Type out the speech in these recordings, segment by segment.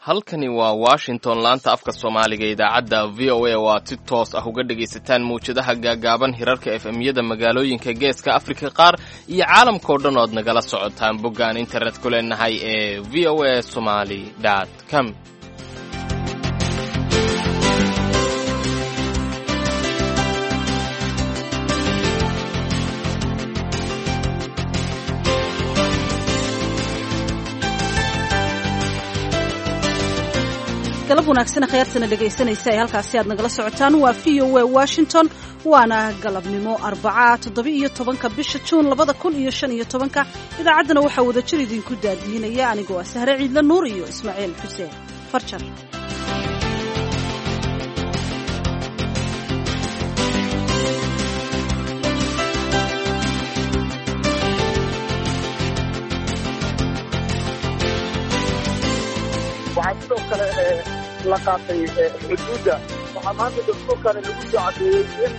Halkani waa Washington, laanta afka Soomaaliga, idaacadda VOA oo aad si toos ah uga dhegaysataan mawjadaha gaagaaban, hirarka FM-yada magaalooyinka Geeska Afrika qaar iyo caalamkao dhan ood nagala socotaan bogga aan internet ku leenahay ee voasomali.com. Galab wanaagsan, khayaartana dhegaysanaysa ee halkaasi aad nagala socotaan waa VOA Washington. Waana galabnimo Arbaca, 17-ka bisha Juun 2015-ka. Idaacaddana waxaa wada jir idinku daadiinaya anigoo ah Sahre Ciidle Nuur iyo Ismaaciil Xuseen Farjar. Waxaa sidoo kale la qaatay xuduudda. Waxaa maanta dastuurkani lagu soo caddeeyey in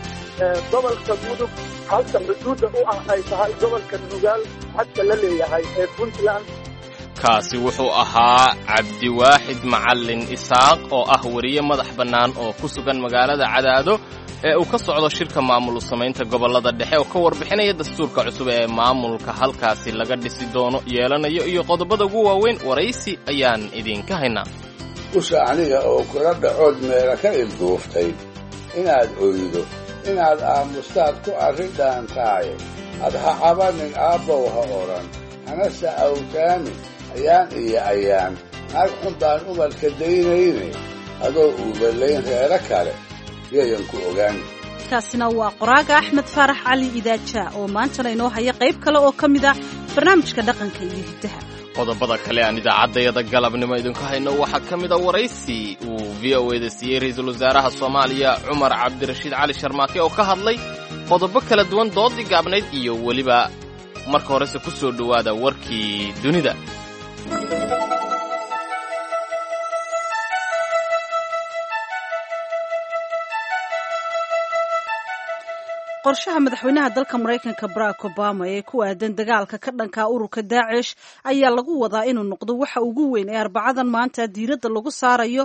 gobolka Mudug halka xuduudda u ah ay tahay gobolka Nugaal xadka la leeyahay ee Puntland. Kaasi wuxuu ahaa Cabdiwaaxid Macallin Isaaq oo ah weriye madax bannaan oo ku sugan magaalada Cadaado ee uu ka socdo shirka maamul samaynta gobollada dhexe, oo ka warbixinaya dastuurka cusub ee maamulka halkaasi laga dhisi doono yeelanayo iyo qodobada ugu waaweyn. Waraysi ayaan idinka haynaa. Usha aniga oo kula dhacood meela ka ilduuftay, inaad oydo, inaad aamustaad ku arrin dhaantaaye, ad ha cabanin, aabbow ha odhan, hanase awtaamin ayaan iyo ayaan. Naag xun baan umalka daynayne, adoo uubalayn reero kale yayan ku ogaan. Kaasina waa qoraaga Axmed Faarax Cali Idaaja oo maantana inoo haya qayb kale oo ka mid ah barnaamijka dhaqanka iyo hiddaha. Qodobada kale aan idaacaddayada galabnimo idinku hayno waxaa ka mid a waraysi uu VOA da siiyey ra-iisul wasaaraha Soomaaliya Cumar Cabdirashiid Cali Sharmaake oo ka hadlay qodobo kala duwan, doodii gaabnayd iyo weliba. Marka horese ku soo dhowaada warkii dunida. Qorshaha madaxweynaha dalka Maraykanka Barack Obama ee ku aadan dagaalka ka dhanka ururka Daacish ayaa lagu wadaa inuu noqdo waxa ugu weyn ee Arbacadan maanta diiradda lagu saarayo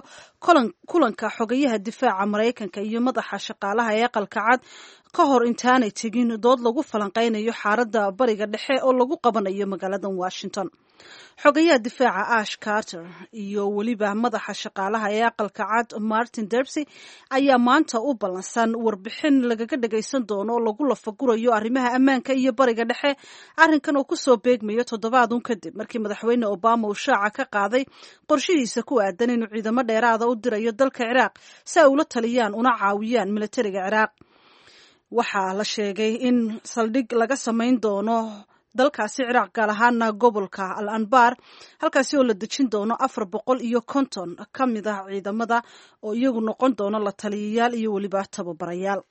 kulanka xogayaha difaaca Maraykanka iyo madaxa shaqaalaha ee Aqalka Cad, ka hor intaanay tegin dood lagu falanqeynayo xaaladda Bariga Dhexe oo lagu qabanayo magaalada Washington. Xogayaha difaaca Ash Carter iyo weliba madaxa shaqaalaha ee Aqalka Cad Martin Debsy ayaa maanta u ballansan warbixin lagaga dhagaysan doono oo lagu lafagurayo arrimaha ammaanka iyo Bariga Dhexe. Arrinkan oo kusoo beegmayo toddobaadun kadib markii madaxweyne Obama uu shaaca ka qaaday qorshihiisa ku aadan inuu ciidamo dheeraada u dirayo dalka Ciraaq si ay ula taliyaan una caawiyaan militariga Ciraaq. Waxaa la sheegay in saldhig laga samayn doono dalkaasi Ciraaq, gaar ahaana gobolka Al Anbar, halkaasi oo la dejin doono 450 ka mid ah ciidamada oo iyagu noqon doono la taliyayaal iyo weliba tababarayaal.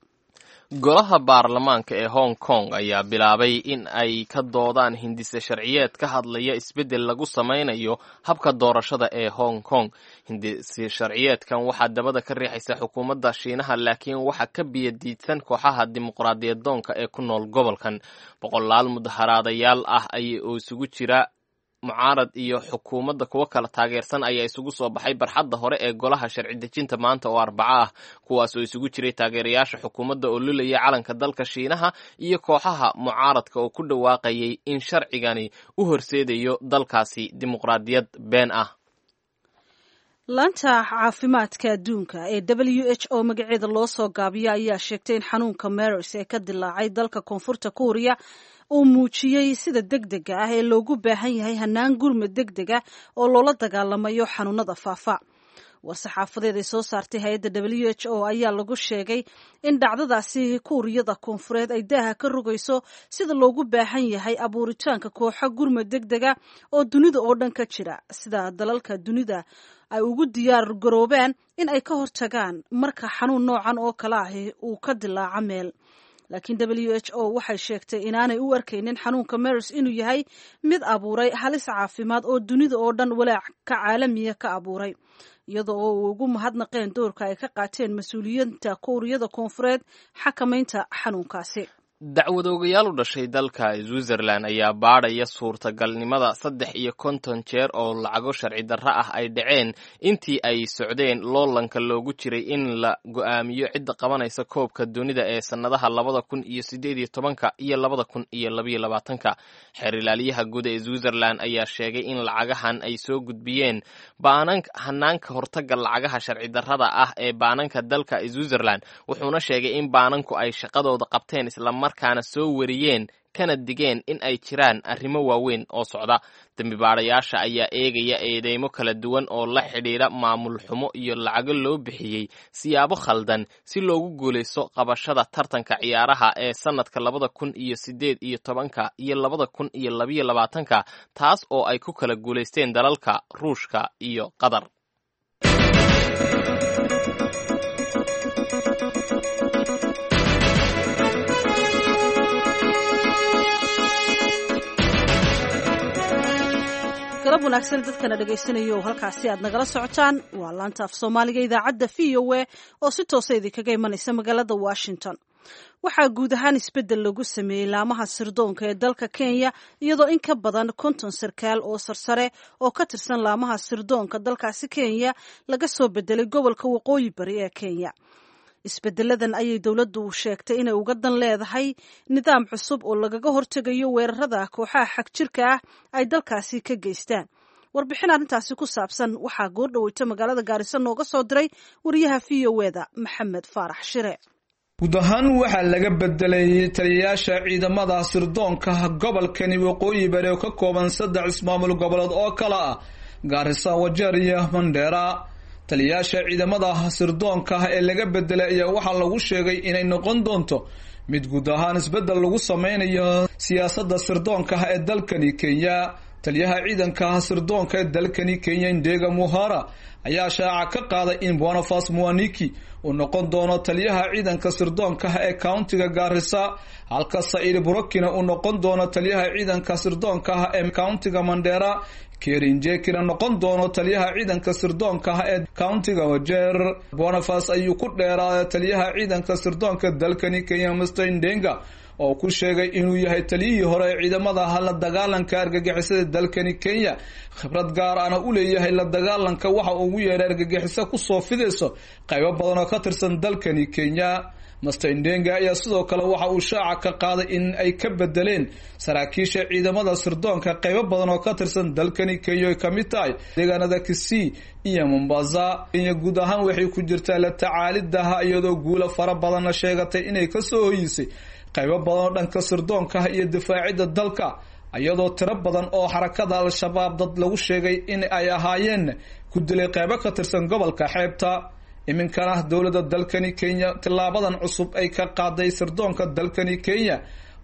Golaha baarlamaanka ee Hong Kong ayaa bilaabay in ay ka doodaan hindise sharciyeed ka hadlaya isbeddel lagu samaynayo habka doorashada ee Hong Kong. Hindise sharciyeedkan waxaa dabada ka riixaysa xukuumadda Shiinaha, laakiin waxaa ka biyadiidsan kooxaha dimuqraadiyadoonka ee ku nool gobolkan. Boqolaal mudaharaadayaal ah ay oo isugu jira mucaarad iyo xukuumadda kuwo kala taageersan ayaa isugu soo baxay barxadda hore ee golaha sharci dejinta maanta oo Arbaco ah, kuwaas oo isugu jiray taageerayaasha xukuumadda oo lulaya calanka dalka Shiinaha iyo kooxaha mucaaradka oo ku dhawaaqayay in sharcigani u horseedayo dalkaasi dimuqraadiyad been ah. Laanta caafimaadka adduunka ee WHO magaceeda loo soo gaabiyo ayaa sheegtay in xanuunka MERS ee ka dilaacay dalka Koonfurta Kuuriya uu muujiyey sida degdega ah ee loogu baahan yahay hanaan gurmud degdega oo loola dagaalamayo xanuunada faafa. War-saxaafadeed ay soo saartay hay-adda WHO ayaa lagu sheegay in dhacdadaasi Kuuriyada Koonfureed ay daaha ka rogayso sida loogu baahan yahay abuuritaanka kooxo gurmud degdega oo dunida oo dhan ka jira, sida dalalka dunida ay ugu diyaar garoobaan in ay ka hortagaan marka xanuun noocan oo kale ahi uu ka dilaaco meel. Laakiin WHO waxay sheegtay inaanay u arkaynin xanuunka MERS inuu yahay mid abuuray halis caafimaad oo dunida oo dhan walaac ka caalamiya ka abuuray, iyadoo oo uu ugu mahadnaqeen doorka ay ka qaateen mas-uuliyiinta Kuuriyada Koonfureed xakamaynta xanuunkaasi. Dacwadoogayaal u dhashay dalka Switzerland ayaa baadhaya suurtagalnimada 53 jeer oo lacago sharci darro ah ay dhaceen intii ay socdeen loolanka loogu jiray in la go'aamiyo cidda qabanaysa koobka dunida ee sannadaha 2018-ka iyo 2022-ka. Xeer ilaaliyaha guud ee Switzerland ayaa sheegay in lacagahan ay soo gudbiyeen hanaanka hortagga lacagaha sharci darrada ah ee baananka dalka Switzerland, wuxuuna sheegay in baananku ay shaqadooda qabteen isla markaana soo wariyeen kana digeen in ay jiraan arrimo waaweyn oo socda. Dembibaadhayaasha ayaa eegaya eedeymo kala duwan oo la xidhiidha maamul xumo iyo lacago loo bixiyey siyaabo khaldan si loogu guulaysto qabashada tartanka ciyaaraha ee sannadka 2018-ka iyo 2022-ka, taas oo ay ku kala guulaysteen dalalka Ruushka iyo Qatar. Galab wanaagsan dadkana dhegaysanaya oo halkaasi aad nagala socotaan waa laanta af Soomaaliga idaacadda VOA oo si toosa idinkaga imanaysa magaalada Washington. Waxaa guud ahaan isbeddel lagu sameeyey laamaha sirdoonka ee dalka Kenya, iyadoo in ka badan 50 sarkaal oo sarsare oo ka tirsan laamaha sirdoonka dalkaasi Kenya laga soo bedelay gobolka Waqooyi Bari ee Kenya. Isbedeladan ayay dowladdu sheegtay inay uga dan leedahay nidaam cusub oo lagaga hortegayo weerarada kooxaha xagjirka ah ay dalkaasi ka geystaan. Warbixin arrintaasi ku saabsan waxaa goordhaweyta magaalada Gaarisa nooga soo diray wariyaha VOA-da Maxamed Faarax Shire. Guud ahaan waxaa laga bedelay taliyayaasha ciidamada sirdoonka gobolkani Waqooyi Bari oo ka kooban 3 ismaamul goboleed oo kala ah Gaarisa, Wajeer iyo Mandheera. Taliyayaasha ciidamada sirdoonka ee laga bedelay ayaa waxaa lagu sheegay inay noqon doonto mid guud ahaan isbedel lagu sameynayo siyaasadda sirdoonka ee dalkani Kenya. Taliyaha ciidanka sirdoonka ee dalkani Kenya, Ndega Muhara, ayaa shaaca ka qaaday in Boniface Mwaniki uu noqon doono taliyaha ciidanka sirdoonka ee countiga Garissa, halka Said Burokina uu noqon doono taliyaha ciidanka sirdoonka ee countiga Mandera, Kerinjekina noqon doono taliyaha ciidanka sirdoonka ee countiga Wajeer. Boniface ayuu ku dheeraaday taliyaha ciidanka sirdoonka dalkani Kenya, Mr Ndenga, oo ku sheegay inuu yahay taliyihii hore ee ciidamada la dagaalanka argagixisada dalkani Kenya, khibrad gaar ahna u leeyahay la dagaalanka waxa uu ugu yeeray argagixiso kusoo fidayso qaybo badan oo ka tirsan dalkani Kenya. Mr Ndenga ayaa sidoo kale waxa uu shaaca ka qaaday in ay ka bedeleen saraakiisha ciidamada sirdoonka qaybo badan oo ka tirsan dalkani Kenya, ay ka mid tahay deegaanada Kisii iyo Mombasa. Kenya guud ahaan waxay ku jirtaa la tacaalidaha, iyadoo guulo fara badanna sheegatay inay kasoo hoyisay qaybo badan oo dhanka sirdoonka iyo difaacidda dalka, iyadoo tiro badan oo xarakada Al-Shabaab dad lagu sheegay in ay ahaayeen ku dilay qaybo ka tirsan gobolka xeebta. Iminkana dowladda dalkani Kenya tilaabadan cusub ay ka qaaday sirdoonka dalkani Kenya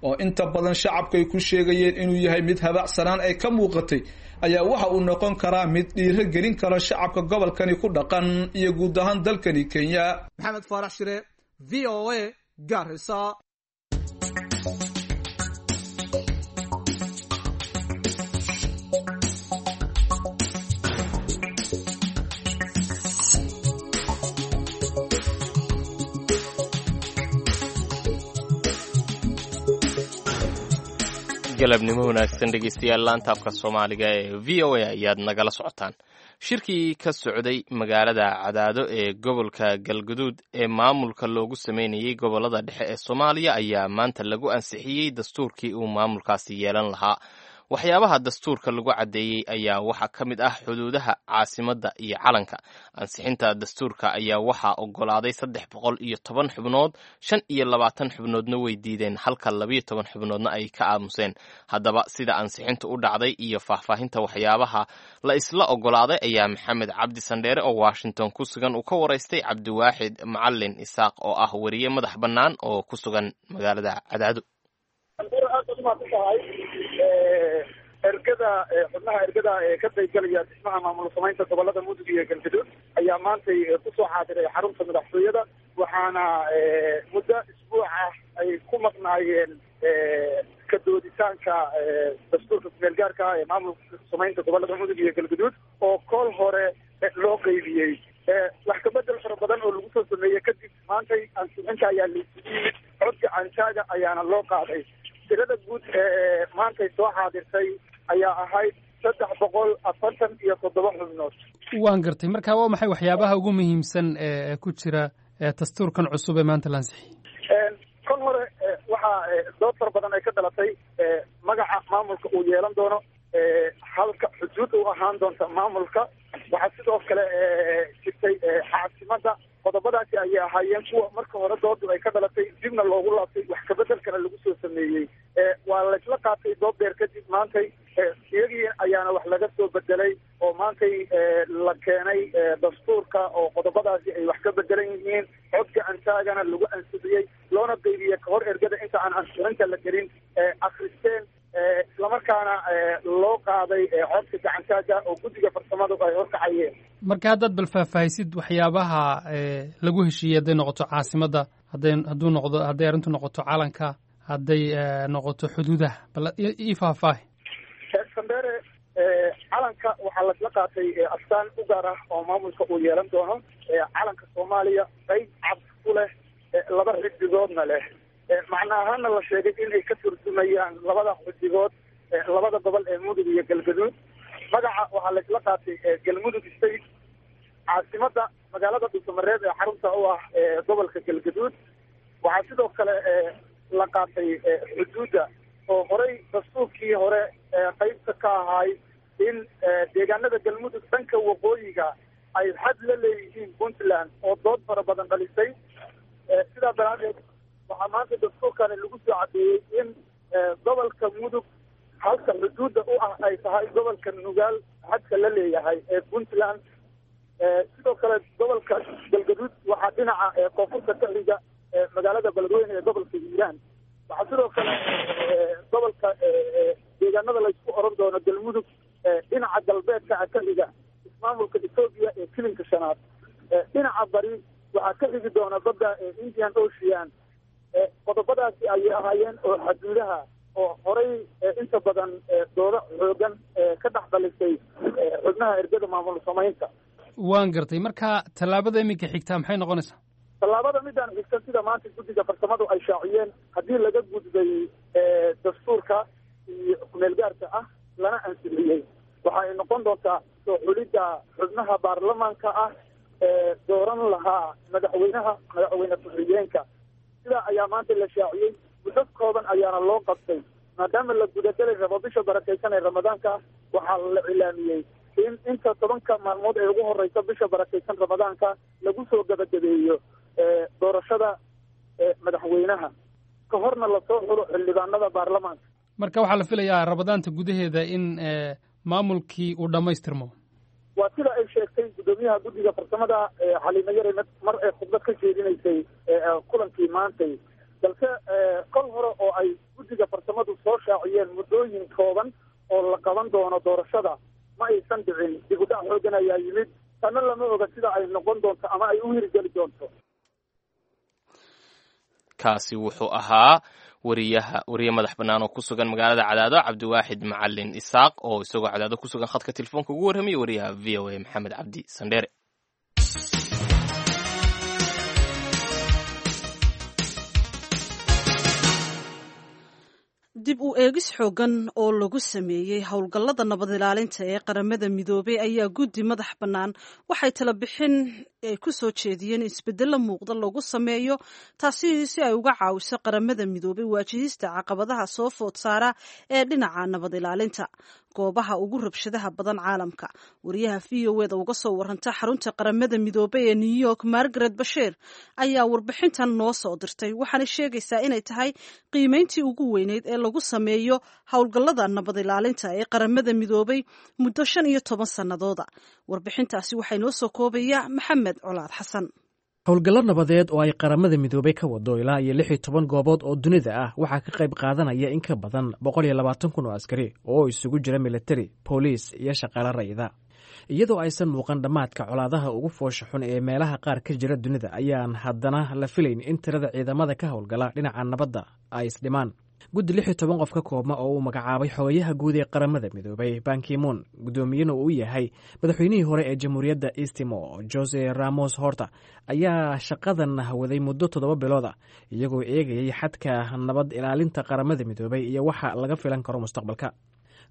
oo inta badan shacabka ay ku sheegayeen inuu yahay mid habacsanaan ay ka muuqatay, ayaa waxa uu noqon karaa mid dhiiro gelin kara shacabka gobolkani ku dhaqan iyo guud ahaan dalkani Kenya. Maxamed Faarax Shire, VOA, Garissa. Galabnimo wanaagsan dhegeystayaal, laantaafka Soomaaliga ee VOA ayaad nagala socotaan. Shirkii ka socday magaalada Cadaado ee gobolka Galguduud ee maamulka loogu sameynayey gobolada dhexe ee Soomaaliya ayaa maanta lagu ansixiyey dastuurkii uu maamulkaasi yeelan lahaa. Waxyaabaha dastuurka lagu caddeeyey ayaa waxaa ka mid ah xuduudaha, caasimadda iyo calanka. Ansixinta dastuurka ayaa waxaa oggolaaday 310 xubnood, 25 xubnoodna way diideen, halka 12 xubnoodna ay ka aamuseen. Haddaba sida ansixintu u dhacday iyo faahfaahinta waxyaabaha la isla oggolaaday ayaa Maxamed Cabdi Sandheere oo Washington ku sugan uu ka waraystay Cabdiwaaxid Macalin Isaaq oo ah weriye madax bannaan oo ku sugan magaalada Cadaado. Ergada xubnaha ergada ee ka qaybgalaya dhismaha maamul samaynta gobolada Mudug iyo Galgaduud ayaa maantay kusoo xaadiray xarunta madaxtooyada, waxaana muddo isbuuc ah ay ku maqnaayeen ka dooditaanka dastuurka kumeel gaarka ah ee maamul samaynta gobolada Mudug iyo Galgaduud oo kool hore loo qeybiyey. Wax kabedel fara badan oo lagu soo sameeyey kadib maantay ansixinta ayaa laisugu yimid. Cod gacantaaga ayaana loo qaaday. Tirada guud ee maantay soo xaadirtay ayaa ahayd 347 xubnood. Waan gartay. Marka waa maxay waxyaabaha ugu muhiimsan ee ku jira dastuurkan cusub ee maanta la ansixiyey? Kol hore waxaa dood fara badan ay ka dhalatay magaca maamulka uu yeelan doono, halka xuduud u ahaan doonta maamulka. Waxaa sidoo kale jirtay caasimada. Qodobadaasi ayay ahaayeen kuwa marka hore doodu ay ka dhalatay, dibna loogu laabtay, wax kabedelkana lagu soo sameeyey. Waa laysla qaatay dood dheer kadib maantay, iyagii ayaana wax laga soo bedelay oo maantay la keenay dastuurka oo qodobadaasi ay wax ka bedelan yihiin, cod gacantaagana lagu ansixiyey, loona qeybiyey kahor ergada inta aan ansixinta la gelin akristeen, islamarkaana loo qaaday codka gacantaaga oo guddiga farsamadu ay horkacayeen. Marka haddaad bal faahfaahisid waxyaabaha lagu heshiiyey, hadday noqoto caasimadda, hadday hadduu noqdo, hadday arrintu noqoto calanka, hadday noqoto xuduudaha, bal ii faahfaahi. Sandere, calanka waxaa laisla qaatay astaan u gaar ah oo maamulka uu yeelan doono, calanka Soomaaliya, qayb cad ku leh, laba xidigoodna leh, macna ahaana la sheegay inay ka turjumayaan labada xidigood labada gobol ee Mudug iyo Galgaduud. Magaca waxaa laisla qaatay Galmudug State. Caasimada magaalada Dhuusamareeb ee xarunta u ah gobolka Galgaduud. Waxaa sidoo kale la qaatay xuduudda oo horey dastuurkii hore qaybta ka ahaay in deegaanada Galmudug dhanka waqooyiga ay xad la leeyihiin Puntland, oo dood fara badan dhalisay. Sidaa daraadeed waxaa maanta dastuurkani lagu soo cadeeyey in gobolka Mudug halka xuduudda u ah ay tahay gobolka Nugaal xadka la leeyahay ee Puntland. Sidoo kale gobolka Galgaduud waxaa dhinaca koonfurta ka xiga magaalada Beledweyne ee gobolka Hiiraan. Waxaa sidoo kale gobolka deegaanada laysku oran doono Galmudug dhinaca galbeedka ka xiga ismaamulka Etoobiya ee kilinka shanaad. Dhinaca bari waxaa ka xigi doona badda Indian Ocean. Qodobadaasi ayay ahaayeen oo xaduudaha oo horey inta badan doodo xoogan ka dhex dhalisay xubnaha ergada maamul samaynta. Waan gartay. Marka tallaabada iminka xigtaa maxay noqonaysaa? Tallaabada midaan xigta, sida maanta guddiga farsamadu ay shaaciyeen, haddii laga gudbay dastuurka iyo kumeelgaarka ah lana ansixiyey, waxa ay noqon doontaa soo xulidda xubnaha baarlamaanka ah ee dooran lahaa madaxweynaha, madaxweyne ku-xigeenka. Sidaa ayaa maanta la shaaciyey, muddo kooban ayaana loo qabtay maadaama la gudagelay rabo bisha barakaysan ee Ramadaanka. Waxaa la cilaamiyey in inta 10-ka maalmood ee ugu horeysa bisha barakaysan Ramadaanka lagu soo gabagabeeyo doorashada madaxweynaha, ka horna lasoo xulo xildhibaanada baarlamaanka. Marka waxaa la filayaa Ramadaanta gudaheeda in maamulkii uu dhammaystirmo. Waa sida ay sheegtay guddoomiyaha guddiga farsamada Xaliimo Yare mar ay khudbad ka jeedinaysay kulankii maantay. Balse kol hore oo ay guddiga farsamadu soo shaaciyeen muddooyin kooban oo la qaban doono doorashada ma aysan dhicin. Dib u dhac xoogan ayaa yimid, tanna lama oga sida ay noqon doonto ama ay u hirgeli doonto. Kaasi wuxuu ahaa wariyaha, wariye madax bannaan oo ku sugan magaalada Cadaado, Cabdiwaaxid Macalin Isaaq, oo isagoo Cadaado ku sugan khadka telefoonka ugu warramaya wariyaha VOA Maxamed Cabdi Sandheere. Dib u eegis xoogan oo lagu sameeyey howlgallada nabad ilaalinta ee Qaramada Midoobay ayaa guddi madax bannaan waxay tala bixin ay ku soo jeediyeen isbeddello muuqda lagu sameeyo, taasi si ay uga caawiso Qaramada Midoobay waajihista caqabadaha soo food saara ee dhinaca nabad ilaalinta goobaha ugu rabshadaha badan caalamka. Wariyaha VOA da uga soo waranta xarunta Qaramada Midoobay ee New York, Margaret Bashiir, ayaa warbixintan noo soo dirtay, waxaana sheegaysaa inay tahay qiimeyntii ugu weyneyd ee lagu sameeyo howlgallada nabad ilaalinta ee Qaramada Midoobay muddo 15 sannadooda. Warbixintaasi waxaa inoo soo koobaya Maxamed Colaad Xasan. Howlgallo nabadeed oo ay Qaramada Midoobay ka wado ilaa iyo 16 goobood oo dunida ah waxaa ka qayb qaadanaya in ka badan 120,000 oo askari oo isugu jira militari, booliis iyo shaqaale rayida. Iyadoo aysan muuqan dhammaadka colaadaha ugu foosha xun ee meelaha qaar ka jira dunida, ayaan haddana la filayn in tirada ciidamada ka howlgala dhinaca nabadda ay isdhimaan. Guddi 16 qof ka koobma oo uu magacaabay xogayaha guud ee Qaramada Midoobay Bankimoon, guddoomiyena uu yahay madaxweynihii hore ee Jamhuuriyadda Eastimo Jose Ramos Horta, ayaa shaqadan waday muddo 7 bilood ah, iyagoo eegayay xadka nabad ilaalinta Qaramada Midoobay iyo waxa laga filan karo mustaqbalka.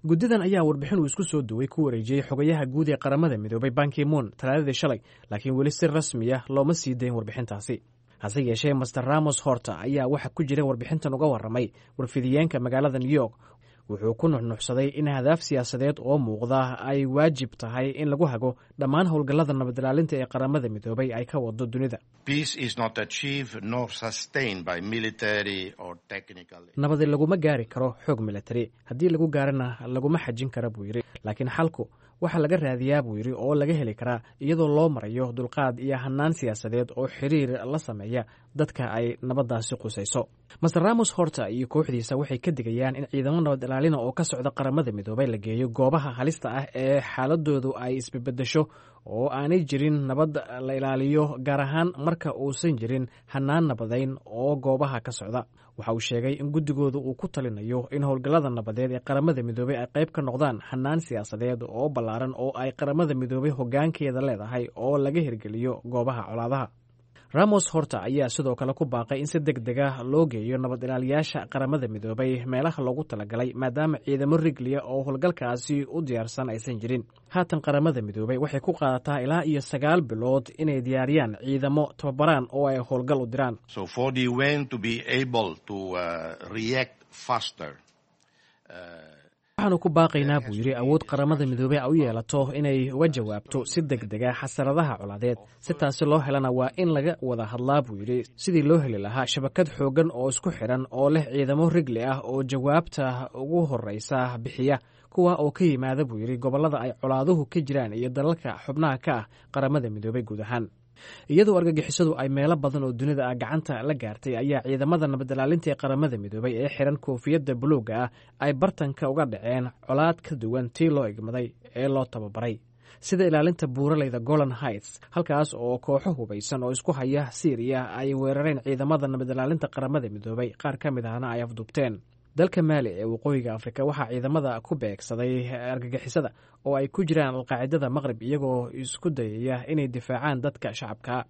Guddidan ayaa warbixin uu isku soo duway ku wareejiyey xogayaha guud ee Qaramada Midoobay Bankimoon Talaadadii shalay, laakiin weli si rasmiya looma sii dayn warbixintaasi. Hase yeeshee, Master Ramos Horta ayaa waxa ku jira warbixintan uga warramay warfidiyeenka magaalada New York. Wuxuu ku nuxnuxsaday in hadaaf siyaasadeed oo muuqda ay waajib tahay in lagu hago dhammaan howlgallada nabadilaalinta ee Qaramada Midoobay ay ka wado dunida. Nabadi laguma gaari karo xoog military, haddii lagu gaarana laguma xajin kara, buu yidhi. Laakiin xalku waxaa laga raadiyaa, buu yidhi, oo laga heli karaa iyadoo loo marayo dulqaad iyo hanaan siyaasadeed oo xiriir la sameeya dadka ay nabaddaasi qusayso. Master Ramos Horta iyo kooxdiisa waxay ka digayaan in ciidamo nabad ilaalina oo ka socda Qaramada Midoobay la geeyo goobaha halista ah ee xaaladoodu ay isbebedesho oo aanay jirin nabad la ilaaliyo, gaar ahaan marka uusan jirin hanaan nabadayn oo goobaha ka socda. Waxa uu sheegay in guddigooda uu ku talinayo in howlgallada nabadeed ee Qaramada Midoobey ay qayb ka noqdaan hanaan siyaasadeed oo ballaaran oo ay Qaramada Midoobey hoggaankeeda leedahay oo laga hirgeliyo goobaha colaadaha. Ramos Horta ayaa sidoo kale ku baaqay in si deg dega loo geeyo nabad ilaaliyaasha Qaramada Midoobay meelaha loogu talagalay, maadaama ciidamo rigliya oo howlgalkaasi u diyaarsan aysan jirin. Haatan Qaramada Midoobay waxay ku qaadataa ilaa iyo 9 bilood inay diyaariyaan ciidamo, tababaraan oo ay howlgal u diraan. Waxaanu ku baaqaynaa, buu yidhi, awood Qaramada Midoobey u yeelato inay uga jawaabto si deg dega xasaradaha colaadeed. Si taasi loo helana waa in laga wada hadlaa, buu yidhi, sidii loo heli lahaa shabakad xooggan oo isku xidhan oo leh ciidamo rigli ah oo jawaabta ugu horreysa bixiya, kuwa oo ka yimaada, buu yidhi, gobollada ay colaaduhu ka jiraan iyo dalalka xubnaha ka ah Qaramada Midoobey guud ahaan. Iyadoo argagixisadu ay meelo badan oo dunida ah gacanta la gaartay, ayaa ciidamada nabadilaalinta ee Qaramada Midoobay ee xiran koofiyadda buluugga ah ay bartanka uga dhaceen colaad ka duwan tii loo igmaday ee loo tababaray, sida ilaalinta buuraleyda Golan Heights, halkaas oo kooxo hubaysan oo isku haya Siiriya ay weerareen ciidamada nabadilaalinta Qaramada Midoobay, qaar ka mid ahna ay afduubteen. Dalka Maali ee Waqooyiga Afrika waxaa ciidamada ku beegsaday argagixisada oo ay ku jiraan Alqaacidada Maqrib, iyagoo isku dayaya inay difaacaan dadka shacabka.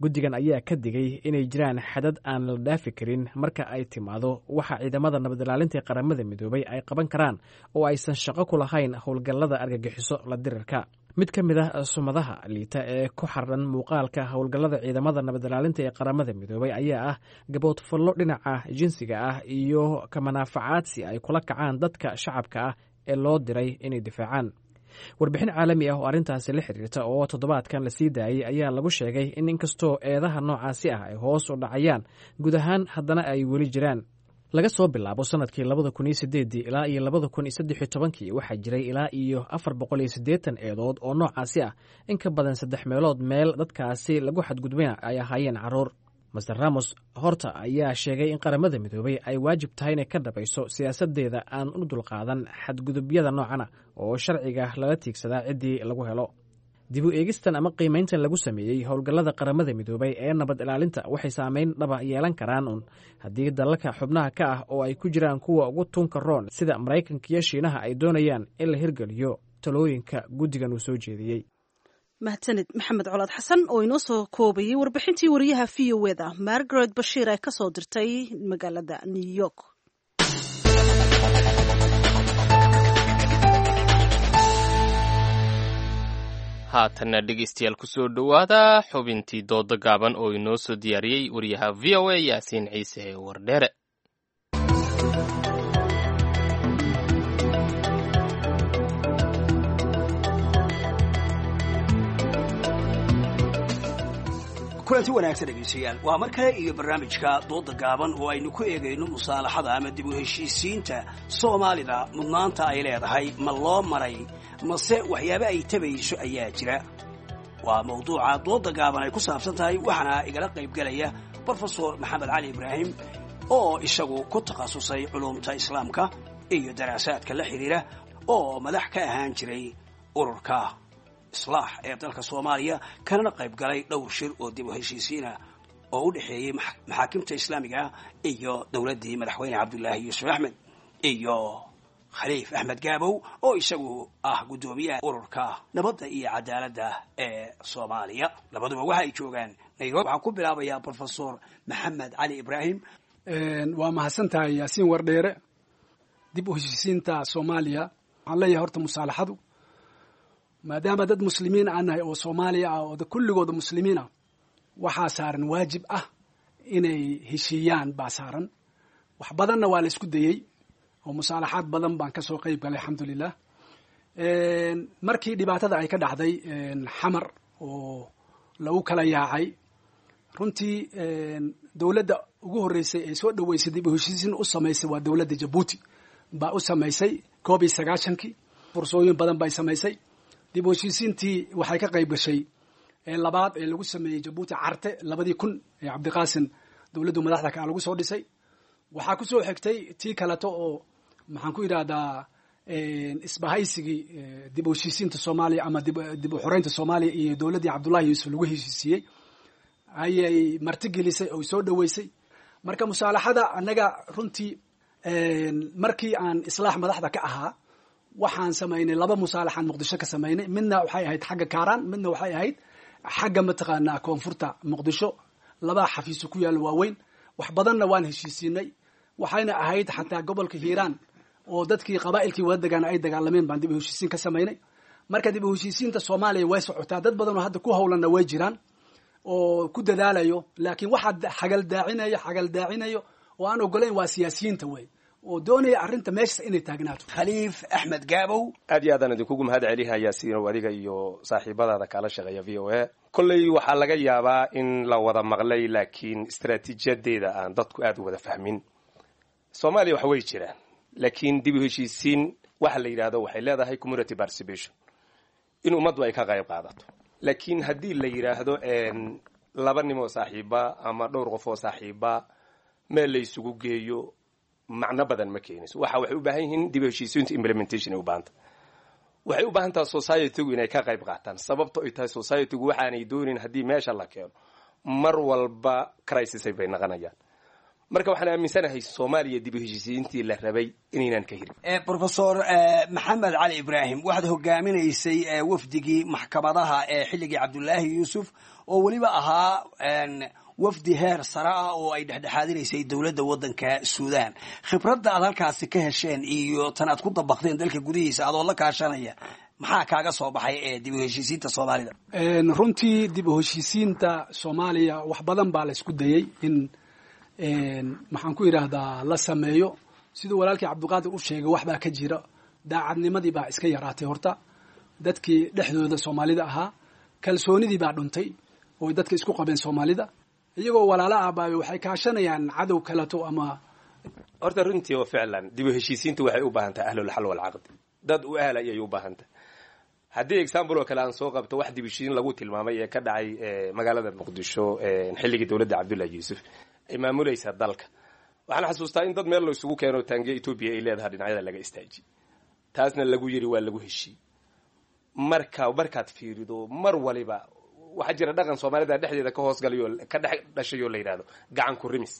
Guddigan ayaa ka digay inay jiraan xadad aan la dhaafi karin marka ay timaado waxa ciidamada nabadilaalinta ee Qaramada Midoobay ay qaban karaan oo aysan shaqo ku lahayn howlgallada argagixiso la dirirka. Mid ka mid ah sumadaha liita ee ku xardhan muuqaalka howlgallada ciidamada nabadilaalinta ee Qaramada Midoobay ayaa ah gaboodfallo dhinaca jinsiga ah iyo kamanaafacaadsi ay kula kacaan dadka shacabka ah ee loo diray inay difaacaan. Warbixin caalami ah oo arrintaasi la xiriirta oo toddobaadkan lasii daayey ayaa lagu sheegay in inkastoo eedaha noocaasi ah ay hoos u dhacayaan guud ahaan, haddana ay weli jiraan. Laga soo bilaabo sanadkii 2008-dii ilaa iyo 2013-kii waxaa jiray ilaa iyo 480 eedood oo noocaasi ah. In ka badan saddex meelood meel dadkaasi lagu xadgudbayna ay ahaayeen carruur. Master Ramos Horta ayaa sheegay in Qaramada Midoobay ay waajib tahay inay ka dhabayso siyaasadeeda aan u dulqaadan xadgudubyada noocana oo sharciga lala tiigsadaa ciddii lagu helo. Dib u eegistan ama qiimayntan lagu sameeyey howlgallada Qaramada Midoobay ee nabad ilaalinta waxay saameyn dhaba yeelan karaan un haddii dalalka xubnaha ka ah, oo ay ku jiraan kuwa ugu tunka roon sida Maraykanka iyo Shiinaha, ay doonayaan in la hirgeliyo talooyinka guddigan uu soo jeediyey. Mahadsanid Maxamed Colaad Xasan oo inoo soo koobayay warbixintii wariyaha v o eda Margaret Bashiir ee kasoo dirtay magaalada New York. Haatanna dhegeystayaal, kusoo dhowaada xubintii dooda gaaban oo inoo soo diyaariyey wariyaha v o a Yaasiin Ciise Wardheere. Kulanti wanaagsan dhegaystayaal, waa mar kale iyo barnaamijka dooda gaaban oo aynu ku eegayno musaalaxada ama dib u heshiisiinta Soomaalida. Mudnaanta ay leedahay ma loo maray, mase waxyaaba ay tabayso ayaa jira? Waa mawduuca dooda gaaban ay ku saabsan tahay, waxaana igala qaybgelaya Brofesor Maxamed Cali Ibraahim oo isagu ku takhasusay culuumta islaamka iyo daraasaadka la xidhiira, oo madax ka ahaan jiray ururka Islaax ee dalka Soomaaliya, kanana qayb galay dhowr shir oo dib u heshiisiina oo u dhexeeyey maxaakimta islaamiga ah iyo dowladdii madaxweyne Cabdulaahi Yuusuf Axmed, iyo Khaliif Axmed Gaabow oo isagu ah guddoomiyaha ururka nabadda iyo cadaaladda ee Soomaaliya. Labaduba waxa ay joogaan Nairobi. Waxaan ku bilaabayaa Professor Maxamed Cali Ibraahim. Waa mahadsan tahay, Yaasiin Wardheere. Dib u heshiisiinta Soomaaliya, waxaan leeyahay horta musaalaxadu, maadaama dad muslimiin aan nahay oo Soomaaliya ah oo kulligooda muslimiin ah, waxaa saaran waajib ah inay heshiiyaan baa saaran. Wax badanna waa la isku dayey oo musaalaxaad badan baan kasoo qeyb galay, alxamdulilah. Markii dhibaatada ay ka dhacday Xamar oo lagu kala yaacay, runtii dowladda ugu horreysay ee soo dhaweysay, dib u heshiisiin u samaysay, waa dowladda Jabuuti baa u samaysay 91-kii. Fursooyin badan bay samaysay. Dib u heshiisiintii waxay ka qayb gashay ee labaad ee lagu sameeyey Jabuuti, Carte, 2000 ee Cabdiqaasin dowladdu madaxda kaa lagu soo dhisay. Waxaa ku soo xigtay tii kaleto oo, maxaan ku yidhahdaa, isbahaysigii dib u heshiisiinta Soomaaliya ama dib u xoreynta Soomaaliya iyo dowladdii Cabdullahi Yuusuf lagu heshiisiiyey ayay martigelisay oo soo dhaweysay. Marka musaalaxada annaga runtii, markii aan Islaax madaxda ka ahaa, waxaan samaynay laba musaalaxaan Muqdisho ka samaynay. Midna waxay ahayd xagga Kaaraan, midna waxay ahayd xagga, mataqaanaa, koonfurta Muqdisho. Laba xafiiso ku yaalla waaweyn. Wax badanna waan heshiisiinay. Waxayna ahayd xataa gobolka Hiiraan oo dadkii qabaa'ilkii wada degaan ay dagaalameen baan dib u heshiisiin ka samaynay. Marka dib u heshiisiinta Soomaaliya way socotaa, dad badan oo hadda ku howlanna way jiraan oo ku dadaalayo, laakiin waxaa xagaldaacinayo oo aan ogolayn waa siyaasiyiinta wey oo doonaya arrinta meeshaas inay taagnaato. Khaliif Axmed Gaabow. Aad iyo aadaan idinkugu mahad celihayaa Siinow, adiga iyo saaxiibadaada kaala shaqeeya VOA. Kolley waxaa laga yaabaa in la wada maqlay, laakiin istaraatiijiyadeeda aan dadku aad u wada fahmin. Soomaaliya wax way jiraan, laakiin dib u heshiisiin waxa la yidhahdo waxay leedahay community participation, in ummaddu ay ka qayb qaadato. Laakiin haddii la yidhaahdo laba nin oo saaxiiba ama dhowr qof oo saaxiiba meel la isugu geeyo, macno badan ma keenayso. Waxay u baahan yihiin dib u heshiisiintu implementation ay u baahanta. Waxay u baahan tahay society-gu inay ka qayb qaataan, sababto ay tahay society-gu waxaanay doonin haddii meesha la keeno mar walba crisis bay naqanayaan. Marka waxaan aaminsanahay Soomaaliya dib u heshiisiintii la rabay inaynaan ka hirin. Professor Maxamed Cali Ibraahim, waxaad hogaaminaysay wafdigii maxkamadaha ee xilligii Cabdulaahi Yuusuf, oo weliba ahaa wafdi heer sare ah oo ay dhexdhexaadinaysay dowladda waddanka Suudaan. Khibradda aad halkaasi ka hesheen iyo tan aad ku dabaqdeen dalka gudihiisa adoo la kaashanaya, maxaa kaaga soo baxay ee dib u heshiisiinta Soomaalida? Runtii dib u heshiisiinta Soomaaliya wax badan baa la isku dayey in, maxaan ku yidhaahdaa, la sameeyo. Siduu walaalkii Cabdiqaadir u sheegay, wax baa ka jira, daacadnimadii baa iska yaraatay. Horta dadkii dhexdooda Soomaalida ahaa kalsoonidii baa dhuntay oo dadka isku qabeen. Soomaalida iyagoo walaalo ah baa waxay kaashanayaan cadow kaleto ama Horta runtii oo ficlan dib u heshiisiintu waxay u baahan tahay ahlulxal walcaqdi, dad u ahla ayay u baahan tahay. Haddii example oo kale aan soo qabto, wax dib u heshiisiin lagu tilmaamay ee ka dhacay magaalada Muqdisho xilligii dowladda Cabdullahi Yuusuf ay maamulaysa dalka, waxaan xasuustaa in dad meel la isugu keeno, taangiya Etoobiya ay leedahay dhinacyada laga istaajiyey, taasna lagu yiri waa lagu heshiiyey. Marka markaad fiirido, mar waliba waxaa jira dhaqan Soomaalida dhexdeeda ka hoosgalayo, ka dhex dhashay oo la yidhahdo gacan ku rimis.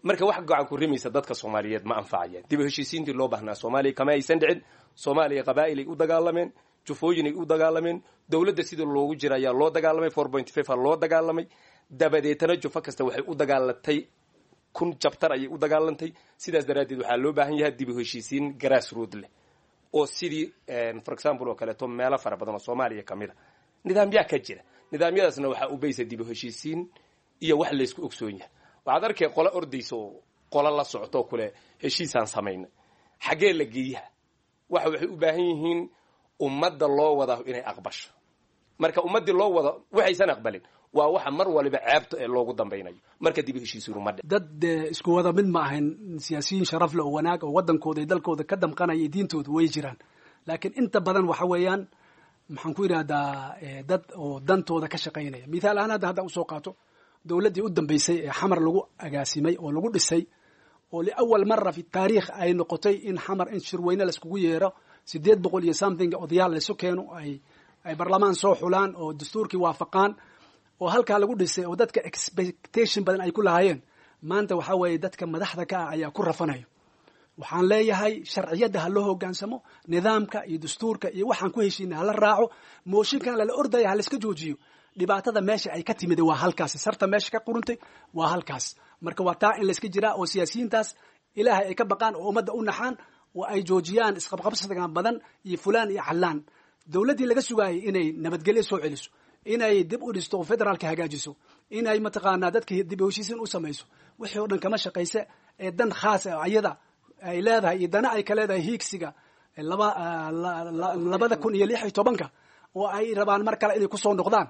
Marka wax gacan ku rimaysa dadka Soomaaliyeed ma anfacayaan. Dib u heshiisiintii loo baahnaa Soomaaliya kama aysan dhicin. Soomaaliya qabaa'ilay u dagaalameen, jufooyinay u dagaalameen, dowladda sidii loogu jira ayaa loo dagaalamay, 4.5 a loo dagaalamay. Dabadeetana jufo kasta waxay u dagaalatay 1000 jabtar ayay u dagaalantay. Sidaas daraaddeed waxaa loo baahan yahay dib u heshiisiin grassroot leh oo sidii, for example oo kaleeto, meelo fara badan oo Soomaaliya ka mid a nidaamyaa ka jira. Nidaamyadaasna waxaa u baysa dib u heshiisiin iyo wax laysku ogsoon yahay. Waxaad arkay qolo ordaysa oo qolo la socto kule heshiisaan samaynay, xaggee la geeyaha? Waxay u baahan yihiin ummadda loo wada inay aqbasho. Marka ummaddii loo wada waxaysan aqbalin waa waxa mar waliba ceebta ee loogu dambaynayo. Marka dib u heshiisiinu ma dhic. Dad isku wada mid ma ahayn. Siyaasiyiin sharaf leh oo wanaag oo waddankooda iyo dalkooda ka damqanaya iyo diintooda way jiraan, laakiin inta badan waxa weeyaan, maxaan ku yidhahdaa, dad oo dantooda ka shaqaynaya. Mithaal ahaan hadda haddaan usoo qaato dowladdii u dambeysay ee Xamar lagu agaasimay oo lagu dhisay, oo liawal mara fi taariikh ay noqotay in Xamar in shirweyne laiskugu yeero, 800 iyo something odayaal laysu keeno, ay barlamaan soo xulaan oo dastuurkii waafaqaan. Oo halkaa lagu dhisay oo dadka expectation badan ay ku lahaayeen, maanta waxaa weeye dadka madaxda ka ah ayaa ku rafanayo. Waxaan leeyahay, sharciyadda ha loo hogaansamo, nidaamka iyo dastuurka iyo waxaan ku heshiinay hala raaco. Mooshinkan lala ordaya ha laiska joojiyo. Dhibaatada meesha ay ka timid waa halkaas, sarta meesha ka quruntay waa halkaas. Marka waa taa in layska jiraa oo siyaasiyiintaas Ilaahay ay ka baqaan oo ummadda u naxaan oo ay joojiyaan isqabqabsigan badan iyo fulaan iyo callaan. Dowladdii laga sugaayay inay nabadgelyo soo celiso, inay dib u dhisto oo federaalka hagaajiso, inay mataqaanaa dadka dib u heshiisiin u samayso, wixii oo dhan kama shaqayse ee dan khaas ah ayada ay leedahay iyo dana ay ka leedahay hiigsiga 2016-ka oo ay rabaan mar kale inay kusoo noqdaan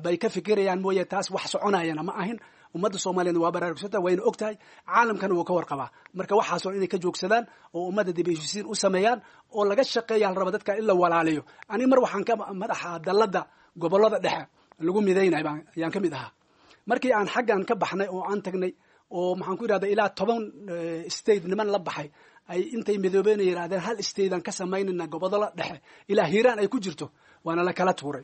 bay ka fikirayaan mooye. Taas wax soconayana ma ahin. Ummadda Soomaaliyeed waa baraarugsanta, wayna og tahay, caalamkana wuu ka warqabaa. Marka waxaasoo inay ka joogsadaan oo ummadda dib heshiisiin u sameeyaan oo laga shaqeeya la raba dadka in la walaaliyo. Ani mar waxaan ka madaxa dalladda gobollada dhexe lagu midaynay baan ayaan ka mid ahaa. Markii aan xaggan ka baxnay oo aan tagnay oo maxaan ku yidhahda ilaa 10 state niman la baxay ay intay midoobeen yidhahdeen hal state aan ka samaynayna gobollada dhexe ilaa Hiiraan ay ku jirto, waana la kala tuuray.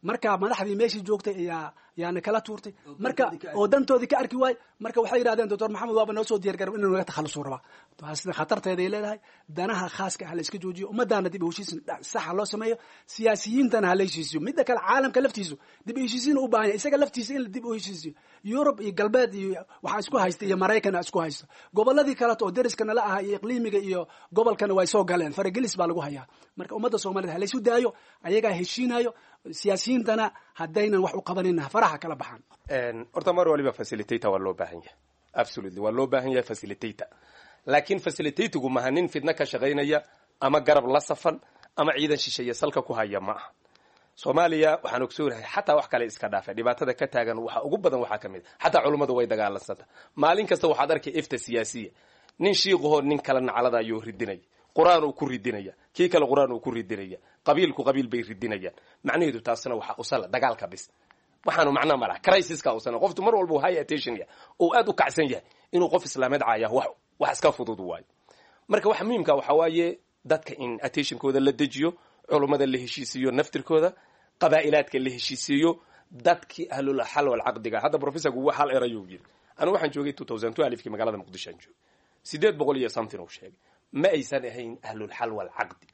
Marka madaxdii meeshii joogtay ayaa yaana kala tuurtay, marka oo dantoodii ka arki waay. Marka waxay yidhahdeen, Doctor Maxamed waaba noo soo diyaar garab inuu naga takhalusuu rabaa. Taasna khatarteeday leedahay. Danaha khaaska ah la iska joojiyo, ummaddaana dib u heshiisin saxa loo sameeyo, siyaasiyiintana ha la heshiisiyo. Midda kale, caalamka laftiisu dib u heshiisiin u baahan yahay, isaga laftiisa in dib u heshiisiyo. Yurub iyo galbeed iyo waxaa isku haysta iyo Maraykan isku haysta, gobolladii kaleto oo deriska nala ahaa iyo iqliimiga iyo gobolkana way soo galeen, faragelis baa lagu hayaa. Marka ummadda Soomaaliyed ha laysu daayo, ayagaa heshiinayo. Siyaasiyiintana haddaynan wax u qabanin faraha kala baxaan. Horta mar waliba facilitator waa loo baahan yahay, absolutely waa loo baahan yahay facilitator, laakiin facilitatorgu maha nin fidna ka shaqaynaya ama garab la safan ama ciidan shisheeye salka ku haya ma aha. Soomaaliya waxaan ogsoonahay, xataa wax kale iska dhaafay, dhibaatada ka taagan waxa ugu badan waxaa ka mid a xataa culummadu way dagaalansanta. Maalin kasta waxaad arkay ifta siyaasiya, nin shiiqahoo nin kala naclada ayuu ridinaya, Qur-aan uu ku ridinaya, kii kale Qur-aan uu ku ridinaya, qabiilku qabiil bay ridinayaan. Macnaheedu taasna waxa usala dagaalka bis waxaanu macnaa malaha crisiska usana qoftu mar walba high attention yahay oo aad u kacsan yahay inuu qof islaameed caaya wax iska fudud waayo. Marka waxa muhiimka waxa waaye dadka in attentionkooda la dejiyo, culummada la heshiisiiyo, naftirkooda qabaa'ilaadka la heshiisiiyo, dadkii ahlul xal wal caqdiga. Hadda professorku wax hal erayuu yiri. Anigu waxaan joogay 2012kii magaalada Muqdisho aan joogay, 800 iyo something uu sheegay ma aysan ahayn ahlul xal wal caqdi.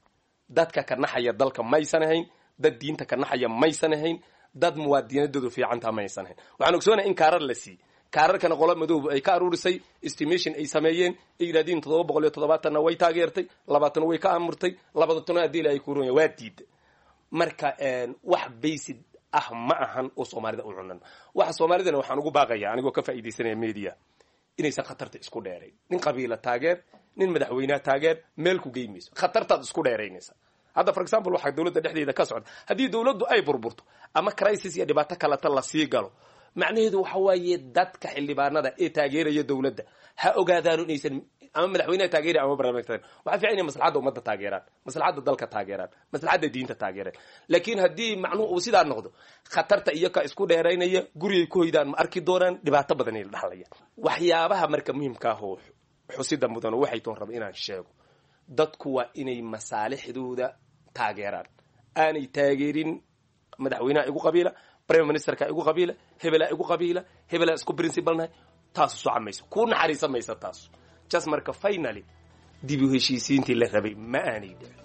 Dadka ka naxaya dalka maysan ahayn, dad diinta ka naxaya maysan ahayn, dad muwaadiniintoodu fiicantaa maysan ahayn. Waxaan ogsoonahay in kaarar la siiyey, kaararkana qolo madoob ay ka aruurisay, estimation ay sameeyeen ay yidhahdeen 770-na way taageertay, 20 way ka amurtay, 20 haddii ay ku roon waa diiday. Marka wax basic ah ma ahan oo Soomaalida u cunan. Waxa Soomaalidana waxaan ugu baaqaya anigoo ka faa'iidaysanaya media inaysan khatarta isku dheerayn. Nin qabiila taageer, nin madaxweynaha taageer, meel ku geymayso, khatartaad isku dheeraynaysa. Hadda for example waxaa dowladda dhexdeeda ka socda, haddii dowladdu ay burburto ama crisis iyo dhibaato kaleta lasii galo, macnaheedu waxa waaye dadka xildhibaanada ee taageeraya dowladda ha ogaadaano inaysan ama madaxweynaha taageeraya ama barnaamijka taageeraya. Waxaa fiican inay maslaxadda ummadda taageeraan, maslaxadda dalka taageeraan, maslaxadda diinta taageeraan. Laakiin haddii macnuhu uu sidaa noqdo, khatarta iyo ka isku dheeraynaya gurigay ku hoydaan ma arki doonaan, dhibaato badan ay la dhaxlayaan. Waxyaabaha marka muhiimka ah oo xusida mudan waxay toon raba inaan sheego, dadku waa inay masaalixdooda taageeraan, aanay taageerin madaxweynaha igu qabiila, prime ministerka igu qabiila, hebelaa igu qabiila, hebelaa isku principalnahay. Taasu soco mayso, kuu naxariisan maysa taasu just. Marka finally dib u heshiisiintii la rabay ma aanay dhicin.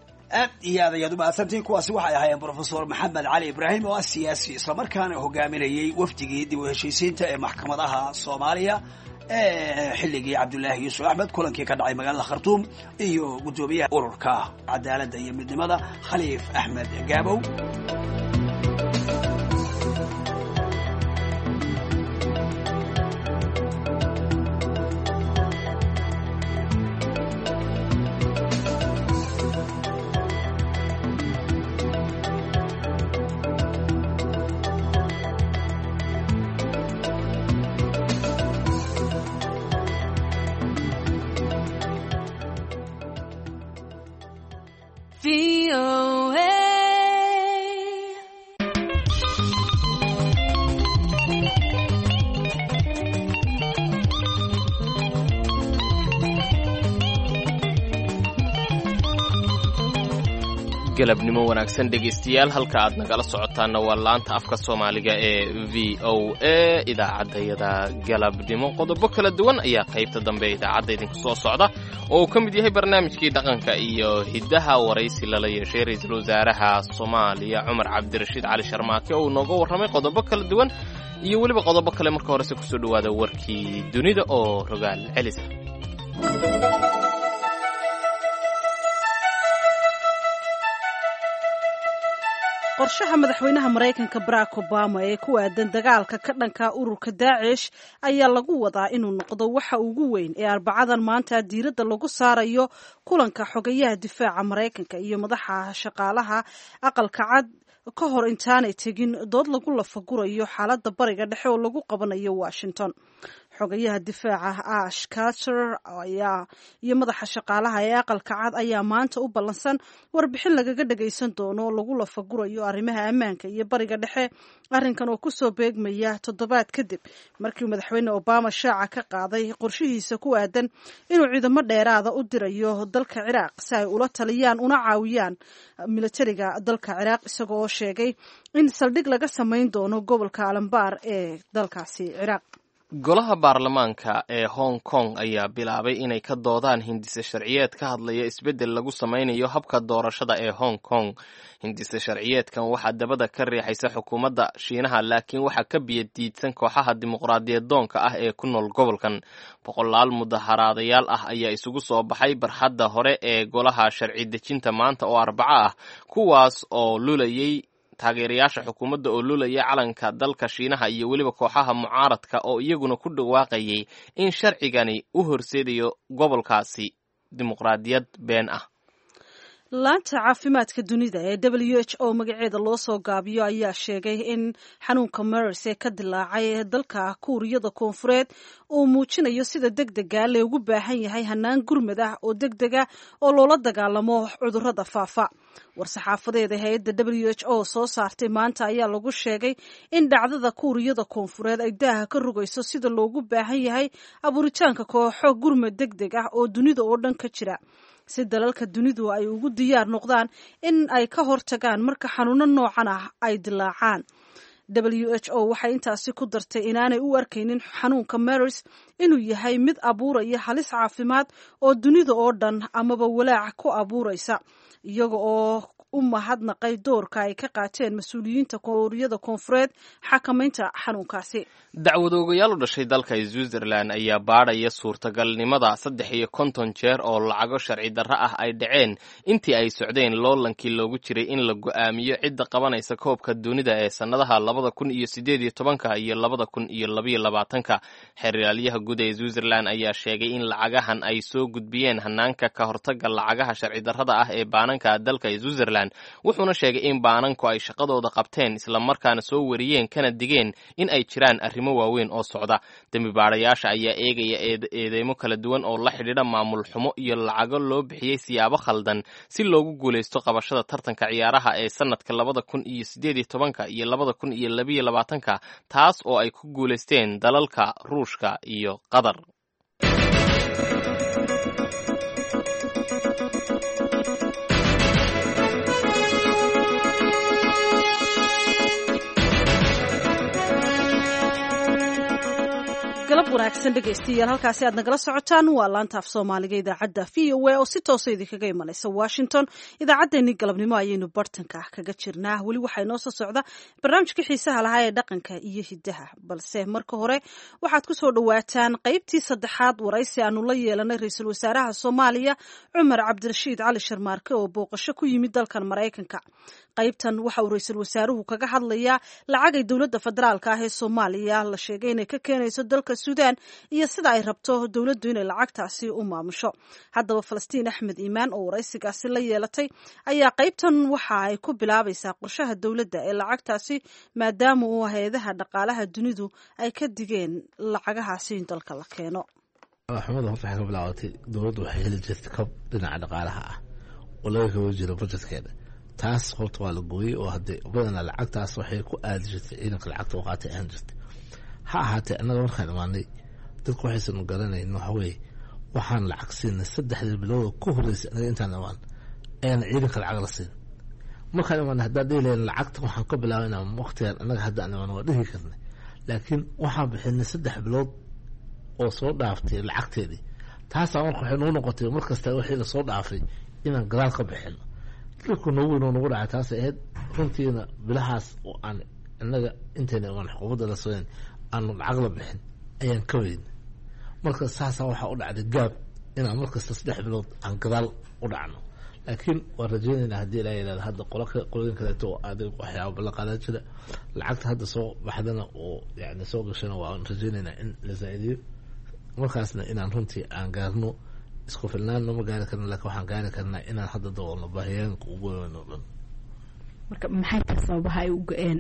Aad iyo aad ayaad u mahadsantihiin. Kuwaasi waxay ahaayeen Brofesor Maxamed Cali Ibraahim oo ah siyaasi islamarkaana hogaaminayey wafdigii dib u heshiisiinta ee maxkamadaha Soomaaliya ee xilligii Cabdulaahi Yuusuf Axmed kulankii ka dhacay magaalada Khartuum, iyo guddoomiyaha ururka cadaaladda iyo midnimada Khaliif Axmed Gaabow. Galabnimo wanaagsan dhegaystayaal, halka aad nagala socotaanna waa laanta afka Soomaaliga ee VOA. Idaacaddayada galabnimo qodobo kala duwan ayaa qaybta dambe idaacadda idinku soo socda, oo uu ka mid yahay barnaamijkii dhaqanka iyo hiddaha, waraysi lala yeeshay ra-iisul wasaaraha Soomaaliya Cumar Cabdirashiid Cali Sharmaake oo uu nooga warramay qodobo kala duwan iyo weliba qodobo kale. Marka horese kusoo dhowaada warkii dunida oo rogaal celisa. Qorshaha madaxweynaha Maraykanka Barack Obama ee ku aadan dagaalka ka dhanka ururka Daacish ayaa lagu wadaa inuu noqdo waxa ugu weyn ee Arbacadan maanta diiradda lagu saarayo kulanka xogayaha difaaca Maraykanka iyo madaxa shaqaalaha Aqalka Cad ka hor intaanay tegin dood lagu lafagurayo xaaladda Bariga Dhexe oo lagu qabanayo Washington. Xogayaha difaaca Ash Carter ayaa iyo madaxa shaqaalaha ee Aqalka Cad ayaa maanta u ballansan warbixin lagaga dhagaysan doono oo lagu lafagurayo arrimaha ammaanka iyo Bariga Dhexe, arrinkan oo kusoo beegmaya toddobaad kadib markii madaxweyne Obama shaaca ka qaaday qorshihiisa ku aadan inuu ciidamo dheeraada u dirayo dalka Ciraaq si ay ula taliyaan una caawiyaan militariga dalka Ciraaq, isagoo oo sheegay in saldhig laga samayn doono gobolka Alambaar ee dalkaasi Ciraaq. Golaha baarlamaanka ee Hong Kong ayaa bilaabay inay ka doodaan hindise sharciyeed ka hadlaya isbeddel lagu samaynayo habka doorashada ee Hong Kong. Hindise sharciyeedkan waxaa dabada ka riixaysa xukuumadda Shiinaha, laakiin waxaa ka biyadiidsan kooxaha dimuqraadiyad doonka ah ee ku nool gobolkan. Boqolaal mudaharaadayaal ah ayaa isugu soo baxay barxadda hore ee golaha sharci dejinta maanta oo Arbaco ah, kuwaas oo lulayay taageerayaasha xukuumadda oo lulaya calanka dalka Shiinaha iyo weliba kooxaha mucaaradka oo iyaguna ku dhawaaqayay in sharcigani u horseedayo gobolkaasi dimuqraadiyad been ah. Laanta caafimaadka dunida ee WHO magaceeda loo soo gaabiyo ayaa sheegay in xanuunka MERS ee ka dilaacay dalka Kuuriyada Koonfureed uu muujinayo sida deg dega loogu baahan yahay hanaan gurmad ah oo deg dega oo loola dagaalamo cudurrada faafa. War-saxaafadeeda hay-adda WHO soo saartay maanta ayaa lagu sheegay in dhacdada Kuuriyada Koonfureed ay daaha ka rogayso sida loogu baahan yahay abuuritaanka kooxo gurmad deg deg ah oo dunida oo dhan ka jira, si dalalka dunidu ay ugu diyaar noqdaan in ay ka hortagaan marka xanuuno noocan ah ay dilaacaan. WHO waxay intaasi ku dartay inaanay u arkaynin xanuunka MERS inuu yahay mid abuuraya halis caafimaad oo dunida oo dhan amaba walaac ku abuuraysa, iyaga oo u mahadnaqay doorka ay ka qaateen mas-uuliyiinta Kuuriyada Koonfureed xakamaynta xanuunkaasi. Dacwadoogayaal u dhashay dalka Switzerland ayaa baadhaya suurtagalnimada 53 jeer oo lacago sharci darro ah ay dhaceen intii ay socdeen loolankii loogu jiray in la go'aamiyo cidda qabanaysa koobka dunida ee sannadaha 2018-ka iyo 2022-ka. Xeraalyaha guud ee Switzerland ayaa sheegay in lacagahan ay soo gudbiyeen hanaanka ka hortagga lacagaha sharci darrada ah ee baananka dalka Switzerland, wuxuuna sheegay in baananku ay shaqadooda qabteen islamarkaana soo wariyeen kana digeen in ay jiraan arrimo waaweyn oo socda. Dembi baadhayaasha ayaa eegaya eedeymo kala duwan oo la xidhiidha maamul xumo iyo lacago loo bixiyey siyaabo khaldan si loogu guulaysto qabashada tartanka ciyaaraha ee sanadka 2018-ka iyo 2022-ka, taas oo ay ku guulaysteen dalalka Ruushka iyo Qatar. Galab wanaagsan dhegaystayaal, halkaasi aad nagala socotaan waa laanta af Soomaaliga idaacadda VOA oo si toosa idinkaga imanaysa Washington. Idaacaddeenii galabnimo ayaynu bartanka kaga jirnaa. Weli waxaa inoo soo socda barnaamijka xiisaha lahaa ee dhaqanka iyo hiddaha, balse marka hore waxaad ku soo dhowaataan qaybtii saddexaad waraysi aanu la yeelanay ra-iisul wasaaraha Soomaaliya Cumar Cabdirashiid Cali Sharmaarke oo booqasho ku yimid dalkan Maraykanka. Qaybtan waxa uu ra-iisul wasaaruhu kaga hadlayaa lacagay dowladda federaalka ah ee Soomaaliya la sheegay inay ka keenayso dalka Suudaan iyo sida ay rabto dowladdu inay lacagtaasi u maamusho. Haddaba Falastiin Axmed Iimaan oo waraysigaasi la yeelatay ayaa qaybtan waxa ay ku bilaabaysaa qorshaha dowladda ee lacagtaasi, maadaama uu hay-adaha dhaqaalaha dunidu ay ka digeen lacagahaasi in dalka la keeno. Xumada horta waxay ka bilaabatay dowladdu waxay heli jirtay kab dhinaca dhaqaalaha ah oo laga kaba jiro bajetkeeda. Taas horta waa la gooyey oo hadee badanaa lacagtaas waxay ku aadi jirtay ciidanka lacagta u qaatay ahaan jirtay. Ha ahaatee, annaga markaan imaanay dadku waxaysan garanayn waxa weeye waxaan lacag siinay 3dii bilooda ku horreysay anaga intaan imaan ayaan ciidanka lacag la siin. Markaan imaana haddaan dhihi lahayn lacagta waxaan ka bilaabaynaa waqtigan annaga hadda aan imaana, waa dhihi karnay, laakiin waxaan bixinay 3 bilood oo soo dhaaftay lacagteedii. Taasaa marka waxay nagu noqotay mar kasta wixii lasoo dhaafay inaan gadaal ka bixino. Dhibka noogu weyn oo nagu dhacay taasay ahayd runtiina. Bilahaas oo aan innaga intayna imaan xukuumadda la sooyn aanu lacag la bixin ayaan ka weyn. Marka saasaa waxaa u dhacday gaab inaan mar kasta 3 bilood aan gadaal u dhacno, laakiin waan rajeynaynaa haddii ilaa yidhahdo hadda qolo qolooyin kaleeto oo adig waxyaaba la qaadan jira lacagta hadda soo baxdana oo yani soo gashana, waan rajeynaynaa in la zaa'idiyo, markaasna inaan runtii aan gaarno isku filnaanno. Ma gaari karno, laakiin waxaan gaari karnaa inaan hadda daboolno baahiyaanka ugu weyn oo dhan. Marka maxay tahay sababaha ay u go-een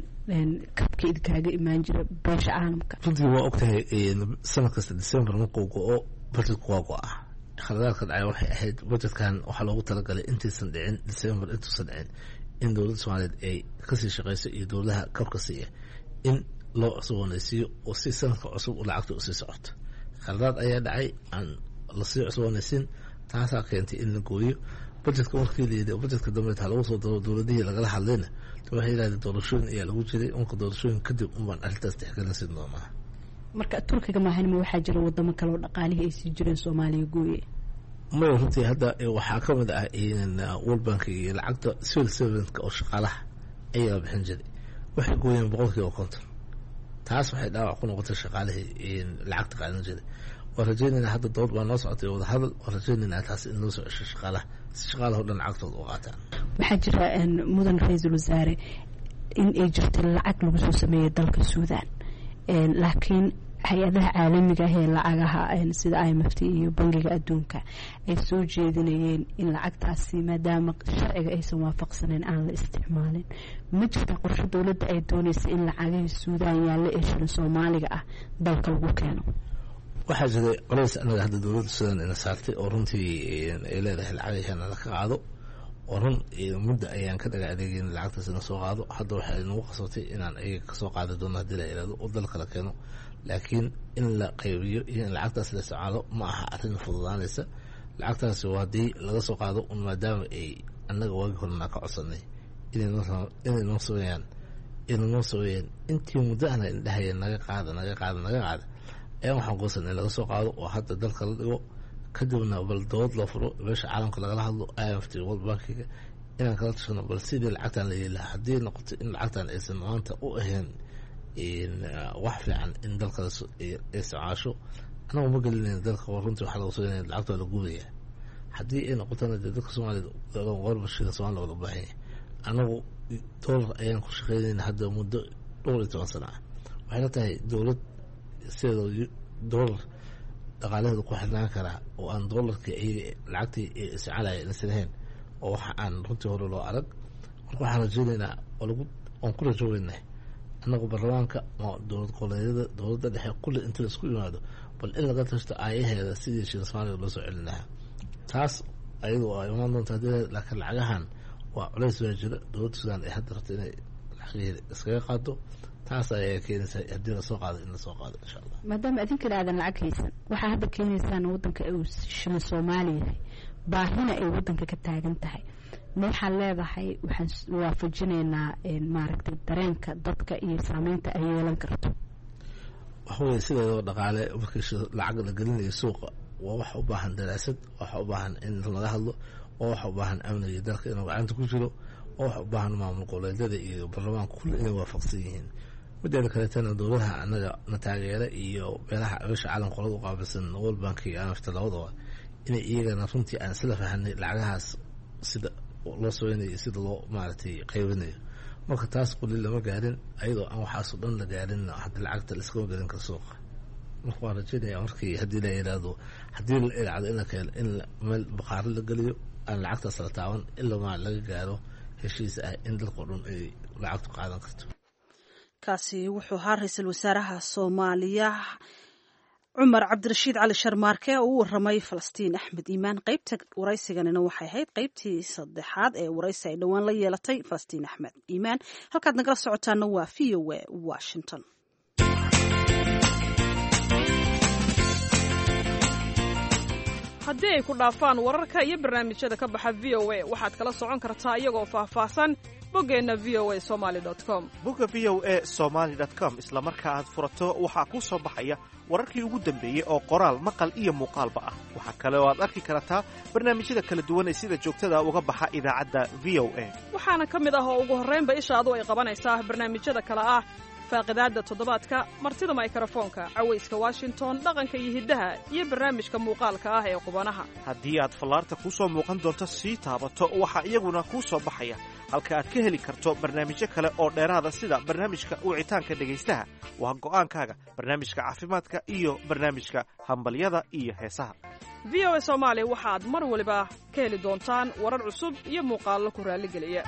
kabka idinkaaga imaan jira beesha caalamka? Runtii waa ogtahay, sanad kasta December markuu go-o budgetku waa go-a. Khaladaadka dhacay waxay ahayd budgetkan waxaa loogu talagalay intaysan dhicin December, intuusan dhicin, in dowladda Soomaaliyeed ay kasii shaqeyso iyo dowladaha kabka siiya in loo cusboonaysiiyo oo si sanadka cusub lacagta usii socoto. Khaladaad ayaa dhacay aan lasii cusboonaysiin, taasaa keentay in la gooyo budgetka. Markii la yidhi budgetka dambe ha lagu soo daro, dowladihii lagala hadlayna waxay yidhahdeen doorashooyin ayaa lagu jiray, marka doorashooyin kadib unbaan arrintaas tixgelin siin doonaa. Marka Turkiga maahan, ma waxaa jira wadamo kale oo dhaqaalihii ay sii jireen Soomaaliya gooye? Maya, runtii hadda waxaa ka mid ah World Bank iyo lacagta civil servantka oo shaqaalaha ayaa bixin jiray, waxay gooyeen 50%. Taas waxay dhaawac ku noqotay shaqaalihii lacagta qaadan jiray. Waan rajeynaynaa, hadda dood baa noo socotay, wadahadal, waan rajeynaynaa taas in loo soo cesho shaqaalaha si shaqaalaha o dhan lacagtooda u qaataan. Waxaa jira, mudan ra-iisul wasaare, in ay jirto lacag lagu soo sameeyey dalka Suudaan, laakiin hay-adaha caalamiga ah ee lacagaha sida IMF iyo Bangiga Adduunka ay soo jeedinayeen in lacagtaasi maadaama sharciga aysan waafaqsaneyn aan la isticmaalin. Ma jirtaa qorshe dowladda ay doonaysa in lacagihii Suudaan yaalla ee shilin Soomaaliga ah dalka lagu keeno? Waxaa jiray culays anaga hadda dowladda Suudaan ina saartay oo runtii ay leedahay lacagihana la ka qaado, oo run mudda ayaan ka dhaga adeegeyn lacagtaas ina soo qaado. Hadda waxay nagu qasabtay inaan iyaga kasoo qaadi doono haddii la ihahdo oo dalka la keeno, laakiin in la qaybiyo iyo in lacagtaas la isticmaalo ma aha arrin fududaanaysa. Lacagtaasi waa haddii laga soo qaado un, maadaama ay annaga waagi horena ka codsanay inay noo sameeyaan, inay noo sameeyeen intii muddo ahna indhahayeen naga qaada, naga qaada, naga qaada, ayaan waxaan goosanay in laga soo qaado oo hadda dalka la dhigo, kadibna bal dood loo furo, meesha caalamka lagala hadlo, IMF, World Bankiga inaan kala tashano bal sidii lacagtan la yeeli lahaa. Haddii noqoto in lacagtan aysan maanta u ahayn wax fiican in dalka isticmaasho, anagu ma gelinayna dalka. Runtii waxaa lagu soo lacagta waa la gubaya. Haddii ay noqotona dee dadka Soomaaliyed warba shilin Soomaaliya waa loo baahan yahay. Anagu doolar ayaan ku shaqeynayna hadda muddo dhowr iyo toban sano ah. Waxayna tahay dowlad sideeda doolar dhaqaalaheeda ku xirnaan karaa oo aan doolarkii iyaga lacagtii isticmaalaya inaysan ahayn, oo waxa aan runtii hore loo arag. Marka waxaan rajeynaynaa oo lagu oon ku rajoogeynaa annagu baarlamaanka, dowlad goboleedyada, dowladda dhexe, kulli inta la isku yimaado bal in laga tashto aayaheeda sidii shilin Soomaaliga loo soo celin lahaa. Taas ayadu waa imaan doonta hadii, laakiin lacagahan waa culays baa jira dowladda Suudaan ay hadda rabto inay lacagaheeda iskaga qaado. Taas ayaa keenaysa haddii lasoo qaado in lasoo qaado insha Allah. Maadaama idinkana aadan lacag haysan, waxaa hadda keenaysaan waddanka uu shilin Soomaali yahay, baahina ay waddanka ka taagan tahay, ma waxaan leedahay waxaan waafajinaynaa maaragtay dareenka dadka iyo saameynta ay yeelan karto? Waxa weye sideedaba dhaqaale markii lacag la gelinayo suuqa waa wax u baahan daraasad, wax u baahan in laga hadlo, waa wax u baahan amniga dalka inuu gacanta ku jiro, waa wax u baahan maamul goboleedyada iyo baarlamaanka kulli inay waafaqsan yihiin. Mideeda kaleetana dowladaha anaga na taageera iyo beelaha beesha caalamka qolada u qaabilsan World Bank iyo IMF labadaba inay iyagana runtii aan isla fahanay lacagahaas sida loo sameynayo iyo sida loo maaragtay qaybinayo. Marka taas quli lama gaarin, ayadoo aan waxaasoo dhan la gaarin hadda lacagta laiskama gelin karo suuqa. Marka waan rajeynaya markii haddii la yidhaahdo, haddii la idhacdo in la keeno, in meel baqaaro la geliyo aan lacagtaas la taaban ilamaa laga gaaro heshiis ah in dalkao dhan ay lacagtu qaadan karto. Kaasi wuxuu ahaa ra-iisul wasaaraha Soomaaliya Cumar Cabdirashiid Cali Sharmaarke oo u waramay Falastiin Axmed Iimaan. Qeybta waraysiganina waxay ahayd qeybtii saddexaad ee waraysi ay dhowaan la yeelatay Falastiin Axmed Iimaan. Halkaad nagala socotaana waa v o a Washington. Haddii ay ku dhaafaan wararka iyo barnaamijyada ka baxa V O A, waxaad kala socon kartaa iyagoo faahfaahsan boggeenna v o a somaly com. Bogga v o a somaly com isla marka aad furato, waxaa kuu soo baxaya wararkii ugu dambeeyey oo qoraal, maqal iyo muuqaalba ah. Waxaa kale oo aad arki kartaa barnaamijyada kala duwan ee sida joogtada uga baxa idaacadda V O A. Waxaana ka mid ah oo ugu horraynba ishaadu ay qabanaysaa barnaamijyada kale ah: Faaqidaadda Toddobaadka, Martida Maykarafoonka, Cawayska Washington, Dhaqanka iyo Hiddaha iyo barnaamijka muuqaalka ah ee Qubanaha. Haddii aad fallaarta kuu soo muuqan doonto sii taabato, waxaa iyaguna kuu soo baxaya halka aad ka heli karto barnaamijyo kale oo dheeraada, sida barnaamijka wicitaanka dhegaystaha, Waa Go'aankaaga, barnaamijka caafimaadka iyo barnaamijka Hambalyada iyo Heesaha. V O A Soomaali waxaad mar waliba ka heli doontaan warar cusub iyo muuqaallo ku raalligeliya.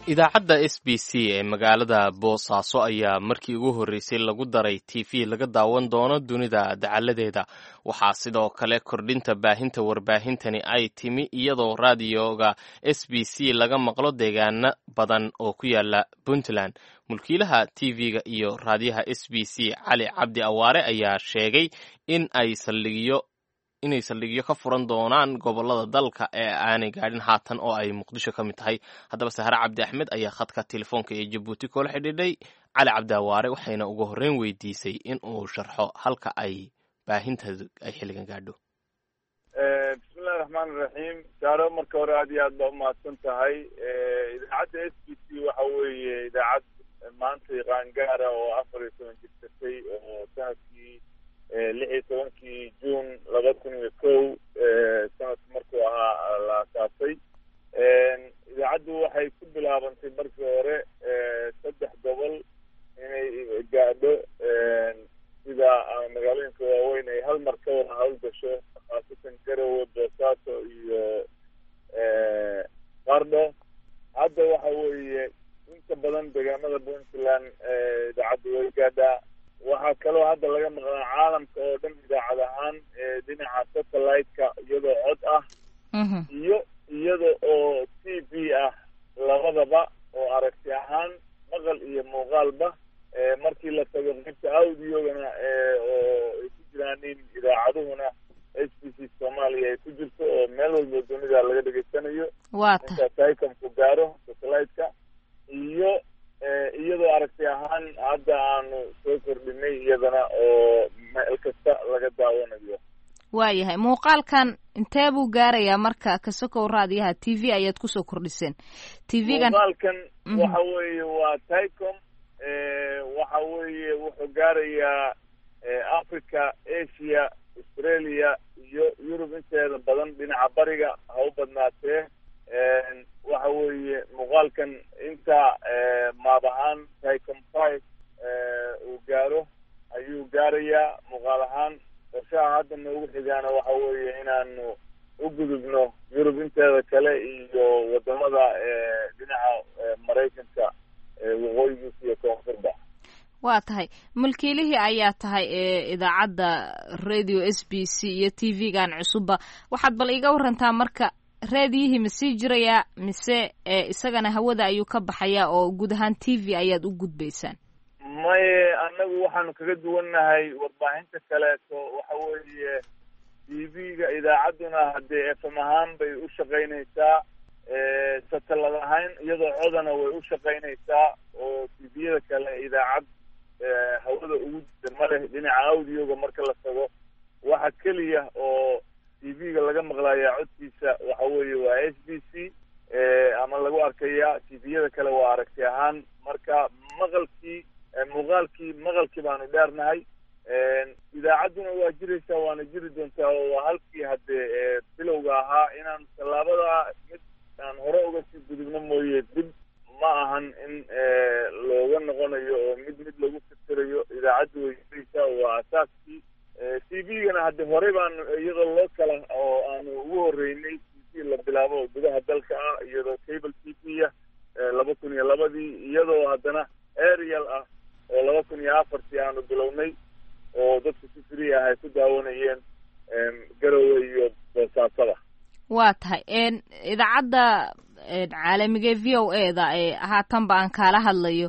Idaacadda S B C ee magaalada Boosaaso ayaa markii ugu horreysay lagu daray t v laga daawan doono dunida dacaladeeda. Waxaa sidoo kale kordhinta baahinta warbaahintani ay timi iyadoo raadiyoga S B C laga maqlo deegaano badan oo ku yaala Puntland. Mulkiilaha t v-ga iyo raadiyaha S B C, Cali Cabdi Awaare, ayaa sheegay in ay saldhigyo inay saldhigyo ka furan doonaan gobolada dalka ee aanay gaadhin haatan, oo ay Muqdisho ka mid tahay. Haddaba, Sahre Cabdi Axmed ayaa khadka telefoonka ee Jabuuti koola xidhiidhay Cali Cabdi Awaare, waxayna ugu horreyn weydiisay in uu sharxo halka ay baahinteedu ay xilligan gaadho. Bismillahi raxmaan iraxiim. Saaro, marka hore aad iyo aad baa umahadsan tahay. Idaacadda S B C waxa weeye idaacad maanta qaangaara oo 14 jirsatay, oo sanadkii 16-kii Juun 2001 sanadku markuu ahaa la asaasay. Idaacaddu waxay ku bilaabantay markii hore saddex gobol inay gaadho, sida magaalooyinka waaweyn ay hal mar ka wada hawlgasho, khaasatan Garowe, Boosaaso iyo Qardho. Hadda waxa weeye inta badan deegaamada Puntland idaacaddu way gaadhaa. Waxaa kaloo hadda laga maqlaa caalamka oo dhan idaacad ahaan dhinaca satellite-ka, iyadoo cod ah iyo iyada oo t v ah labadaba, oo aragti ahaan maqal iyo muuqaalba. Markii la tago qaybta audiogana oo ay ku jiraan in idaacaduhuna S B C Soomaaliya ay ku jirto, oo meel walba dunida laga dhegaysanayo inta ticomku gaaro satellite-ka, iyo iyadoo aragti ahaan hadda aanu soo kordhinay iyadana oo meel kasta laga daawanayo. Waayahay, muuqaalkan intee buu gaarayaa marka kasokow raadiyaha? T V ayaad kusoo kordhiseen t v-gan. Muuqaalkan waxa weeye waa ticom. Waxa weeye wuxuu gaarayaa Africa, Asia, Australia iyo Yurub inteeda badan, dhinaca bariga ha u badnaatee. Waxa weeye muuqaalkan inta maab ahaan ticom 5 uu gaaro ayuu gaarayaa muuqaal ahaan. Qorshaha hadda noogu xigaana waxa weeye inaanu u gudubno Yurub inteeda kale iyo wadamada dhinaca Maraykanka waqooyigiisa iyo koonfurba. Waa tahay, mulkiilihii ayaa tahay ee idaacadda radio S B C iyo t v-gan cusubba. Waxaad bal iiga warantaa marka, raadiyihii ma sii jirayaa mise isagana hawada ayuu ka baxayaa oo guud ahaan t v ayaad u gudbaysaan? Maye, annagu waxaanu kaga duwannahay warbaahinta kaleeto waxa weeye t v-ga idaacadduna haddee f m ahaan bay u shaqaynaysaa, satellad ahaan iyadoo codana way u shaqaynaysaa, oo t v-yada kale idaacad hawada ugu jirta ma leh. Dhinaca audioga marka la tago, waxa keliya oo t v-ga laga maqlayaa codkiisa waxa weeye waa S B C ama lagu arkayaa. T v-yada kale waa aragti ahaan. Marka maqalkii, muuqaalkii, maqalkii baanu dheernahay. Idaacadduna waa jiraysaa, waana jiri doontaa, oo waa halkii haddee bilowga ahaa. Inaan tallaabada mid aan hore uga sii gudubno mooye, dib ma ahan in looga noqonayo oo mid mid lagu tirtirayo. Idaacaddu way jiraysaa, waa asaaskii. T v-gana hadde horey baanu iyadoo loo kala oo aanu ugu horreynay t v la bilaabo oo gudaha dalka ah, iyadoo cable t v ah 2002-dii, iyadoo haddana aerial ah oo 2004-tii aanu bilownay, oo dadku si free ah ay ku daawanayeen Garowe iyo Boosaasada. Waa tahay, idaacadda caalamiga v o a da ee haatanba aan kaala hadlayo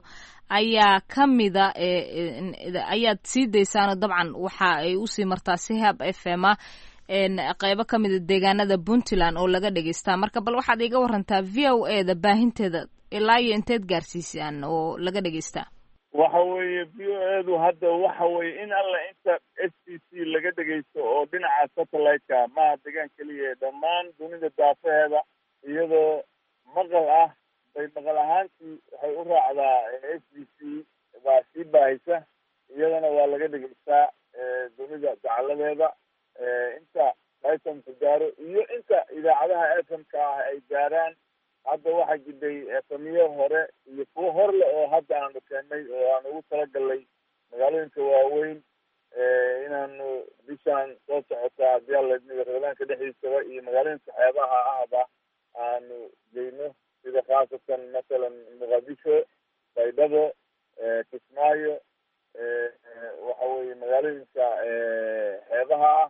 Ayaa ka mida ayaad sii daysaano, dabcan waxa ay usii martaa si hab f m a qeybo ka mida deegaanada Puntland oo laga dhegeystaa. Marka bal waxaad iga warantaa V O A da baahinteeda ilaa iyo inteed gaarsiisaan oo laga dhegeystaa? Waxa weeye, V O A du hadda waxa weeye in alla inta SBC laga dhegeysto oo dhinaca satellite-ka, maaha degaan keliya, dhammaan dunida daafaheeda iyadoo maqal ah bay maqal ahaantii waxay u raacdaa SBC baa sii baahisa, iyadana waa laga dhegeystaa dunida dacaladeeda, inta FM-ka gaaro iyo inta idaacadaha FM-ka ah ay gaaraan. Hadda waxaa jiray FM-yo hore iyo kuwo horle oo hadda aanu keennay oo aan ugu talagalnay magaalooyinka waaweyn inaanu bishaan soo socota, haddii Alla idmiga, Ramadaanka dhexdiisaba iyo magaalooyinka xeebaha ahba aanu geyno, sida khaasatan masalan Muqadisho, Baydhabo, Kismaayo, waxa weeye magaalooyinka xeebaha ah.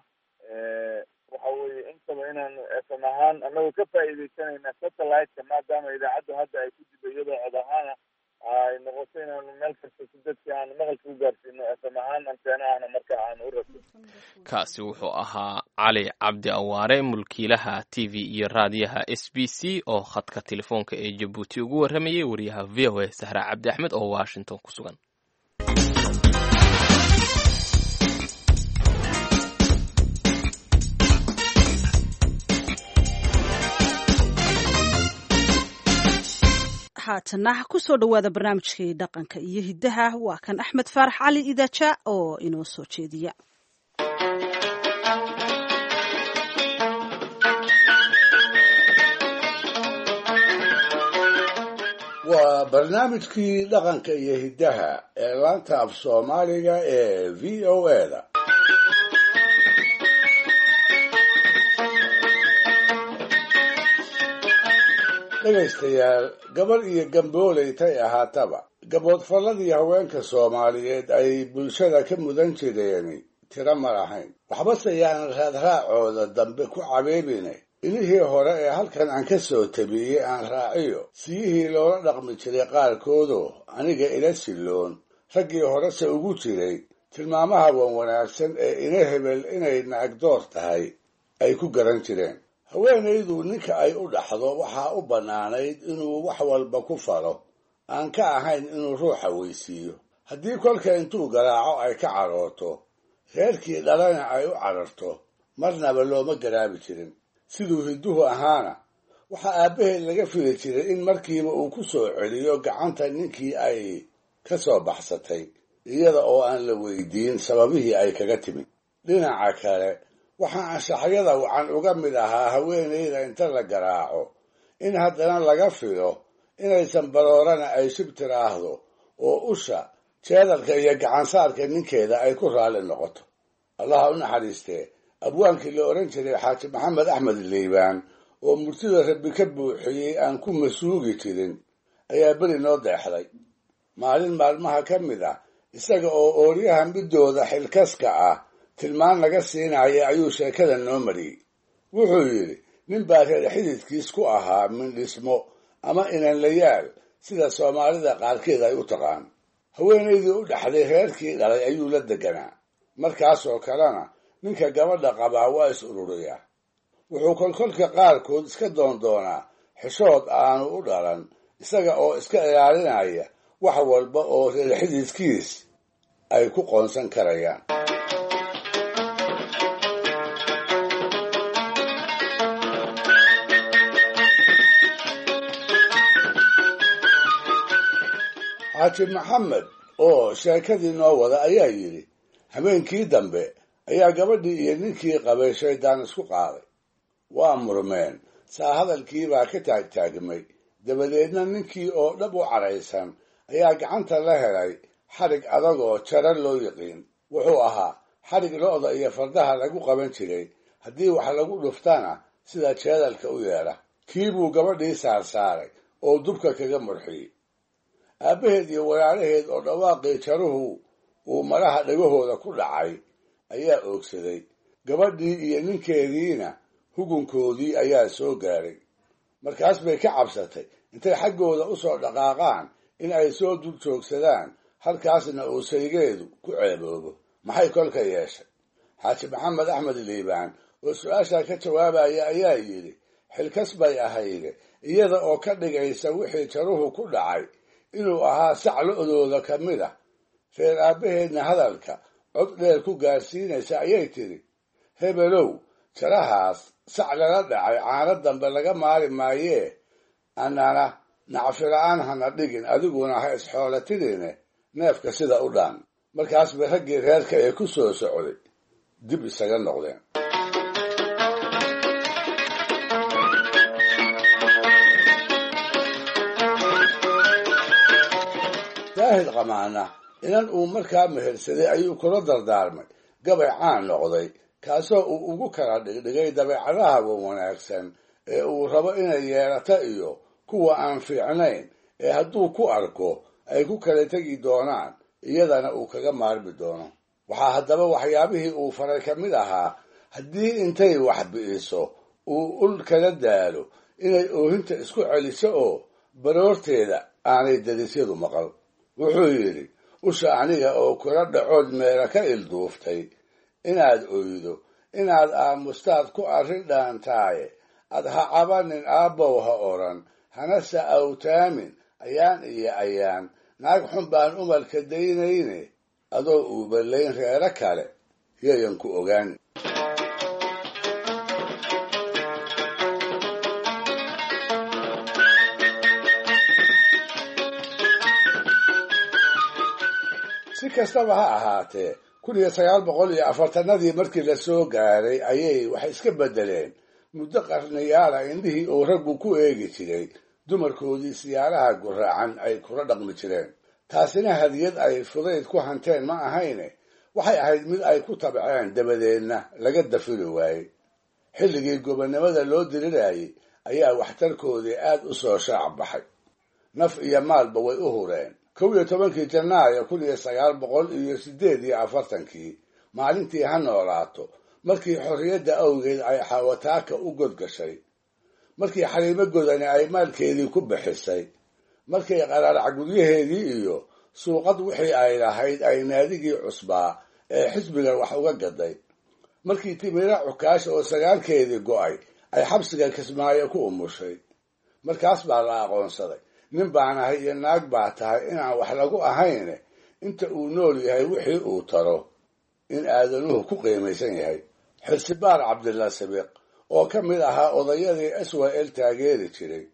Waxa weeye intaba inaanu FM ahaan anagoo ka faa'iidaysanayna satellite-ka, maadaama idaacaddu hadda ay ku jidho iyadoo cod ahaana ay noqoto, inaanu meel kasta si dadki aanu maqalka u gaarsiino FM ahaan anteena ahna marka aanu u rabto. Kaasi wuxuu ahaa Cali Cabdi Awaare, mulkiilaha TV iyo raadiyaha SBC, oo khadka telefoonka ee Jabuuti ugu warramayay wariyaha VOA Sahra Cabdi Axmed oo Washington ku sugan. Haatana kusoo dhowaada barnaamijkii dhaqanka iyo hiddaha. Waa kan Axmed Faarax Cali Idaaja oo inoo soo jeediya. Waa barnaamijkii dhaqanka iyo hiddaha ee laanta af Soomaaliga ee VOA da. Dhegaystayaal, gabadh iyo gambooley tay ahaataba, gaboodfalladii haweenka Soomaaliyeed ay bulshada ka mudan jireeni tiro ma lahayn. Waxbase yaanan raadraacooda dambe ku cabeebine, ilihii hore ee halkan aan ka soo tabiyey aan raaciyo siyihii loola dhaqmi jiray qaarkoodoo aniga ila silloon, raggii horese ugu jiray tilmaamaha wan wanaagsan ee ina hebel inay naagdoor tahay ay ku garan jireen. Haweenaydu ninka ay u dhaxdo waxaa u bannaanayd inuu wax walba ku falo, aan ka ahayn inuu ruuxa weysiiyo. Haddii kolka intuu garaaco ay ka carooto, reerkii dhalana ay u cararto, marnaba looma garaabi jirin. Siduu hidduhu ahaana, waxaa aabbaheed laga fili jiray in markiiba uu ku soo celiyo gacanta ninkii ay ka soo baxsatay, iyada oo aan la weydiin sababihii ay kaga timid. Dhinaca kale, waxaa anshaxyada wacan uga mid ahaa haweenayda inta la garaaco in haddana laga filo inaysan baroorana ay shib tiraahdo oo usha, jeedalka iyo gacansaarka ninkeeda ay ku raalli noqoto. Allaha u naxariistee, abwaankii la odhan jiray Xaaji Maxamed Axmed Liibaan, oo murtida Rabbi ka buuxiyey aan ku masuugi jirin, ayaa beri noo deexday. Maalin maalmaha ka mid ah, isaga oo ooryaha midooda xilkaska ah tilmaan laga siinaya, ayuu sheekada noo mariyey. Wuxuu yidhi, nin baa reer xididkiis ku ahaa mindhismo ama inanlayaal, sida Soomaalida qaarkeed ay u taqaan. Haweenaydii u dhaxday reerkii dhalay ayuu la deganaa. Markaasoo kalena ninka gabadha qabaa waa is ururiyaa. Wuxuu kolkolka qaarkood iska doondoonaa xishood aanu u dhalan, isaga oo iska ilaalinaya wax walba oo reer xididkiis ay ku qoonsan karayaan. Xaaji Maxamed oo sheekadii noo wada ayaa yidhi, habeenkii dambe ayaa gabadhii iyo ninkii qabay shaydaan isku qaaday. Waa murmeen, saa hadalkiibaa ka taagtaagmay. Dabadeedna ninkii oo dhab u caraysan ayaa gacanta la helay xadhig adagoo jara loo yiqiin. Wuxuu ahaa xadhig lo'da iyo fardaha lagu qaban jiray, haddii wax lagu dhuftana sida jeedalka u yeedha. Kii buu gabadhii saarsaaray oo dubka kaga murxiyey. Aabbaheed iyo walaalaheed oo dhawaaqii jaruhu uu maraha dhagahooda ku dhacay ayaa oogsaday. Gabadhii iyo ninkeediina hugunkoodii ayaa soo gaaray. Markaas bay ka cabsatay intay xaggooda u soo dhaqaaqaan in ay soo dul joogsadaan, halkaasna uu saygeedu ku ceeboobo. Maxay kolka yeeshay? Xaaji Maxamed Axmed Liibaan oo su-aashaa ka jawaabaya ayaa yidhi, xilkas bay ahayde, iyada oo ka dhigaysa wixii jaruhu ku dhacay inuu ahaa sac lo-dooda ka mid ah, reer aabbaheedna hadalka cod dheer ku gaarsiinaysa ayay tidhi, hebelow, jarahaas sac lala dhacay caano dambe laga maari maayee, annana nacfila-aan hana dhigin, adiguna ha isxoolatidine neefka sida u dhaan. Markaas bay raggii reerka ee ku soo socday dib isaga noqdeen. Daahid Qamaana inan uu markaa mehersaday ayuu kula dardaarmay gabay caan noqday, kaasoo uu ugu kala dhigdhigay dabeecadaha wanaagsan ee uu rabo inay yeelato iyo kuwa aan fiicnayn ee hadduu ku arko ay ku kala tegi doonaan, iyadana uu kaga maarmi doono. Waxaa haddaba waxyaabihii uu faray ka mid ahaa, haddii intay wax bi'iso uu ul kala daalo, inay oohinta isku celiso oo baroorteeda aanay darisyadu maqal. Wuxuu yidhi, usha aniga oo kula dhacood meela ka ilduuftay, inaad oydo, inaad aamustaad ku arrin dhaantaaye, ad ha cabanin aabbow ha odhan, hana sa'awtaamin ayaan iyo ayaan, naag xun baan umalka daynayne, adoo uuballayn reero kale yayan ku ogaan. Si kastaba ha ahaatee, 1940-adii markii la soo gaaray ayay wax iska beddeleen. Muddo qarniyaala indhihii uu raggu ku eegi jiray dumarkoodii siyaaraha guraacan ay kula dhaqmi jireen. Taasina hadiyad ay fudayd ku hanteen ma ahayne, waxay ahayd mid ay ku tabceen, dabadeedna laga dafiri waayey. Xilligii gobonnimada loo dirirayay ayaa waxtarkoodii aad u soo shaac baxay. Naf iyo maalba way u hureen. 11-kii Janaayo 1948-kii, maalintii ha noolaato, markii xorriyadda awgeed ay Xawataaka u godgashay, markii Xaliimo Godani ay maalkeedii ku bixisay, markay qaraarac guryaheedii iyo suuqad wixii ay lahayd ay naadigii cusbaa ee xisbiga wax uga gaday, markii Timira Cukaasha oo sagaalkeedii go'ay ay xabsiga Kismaayo ku umushay, markaas baa la aqoonsaday nin baan ahay iyo naag baa tahay inaan wax lagu ahayne, inta uu nool yahay wixii uu taro in aadanuhu ku qiimaysan yahay. Xirsibaar Cabdilla Sabiiq oo ka mid ahaa odayadii SYL taageeri jiray,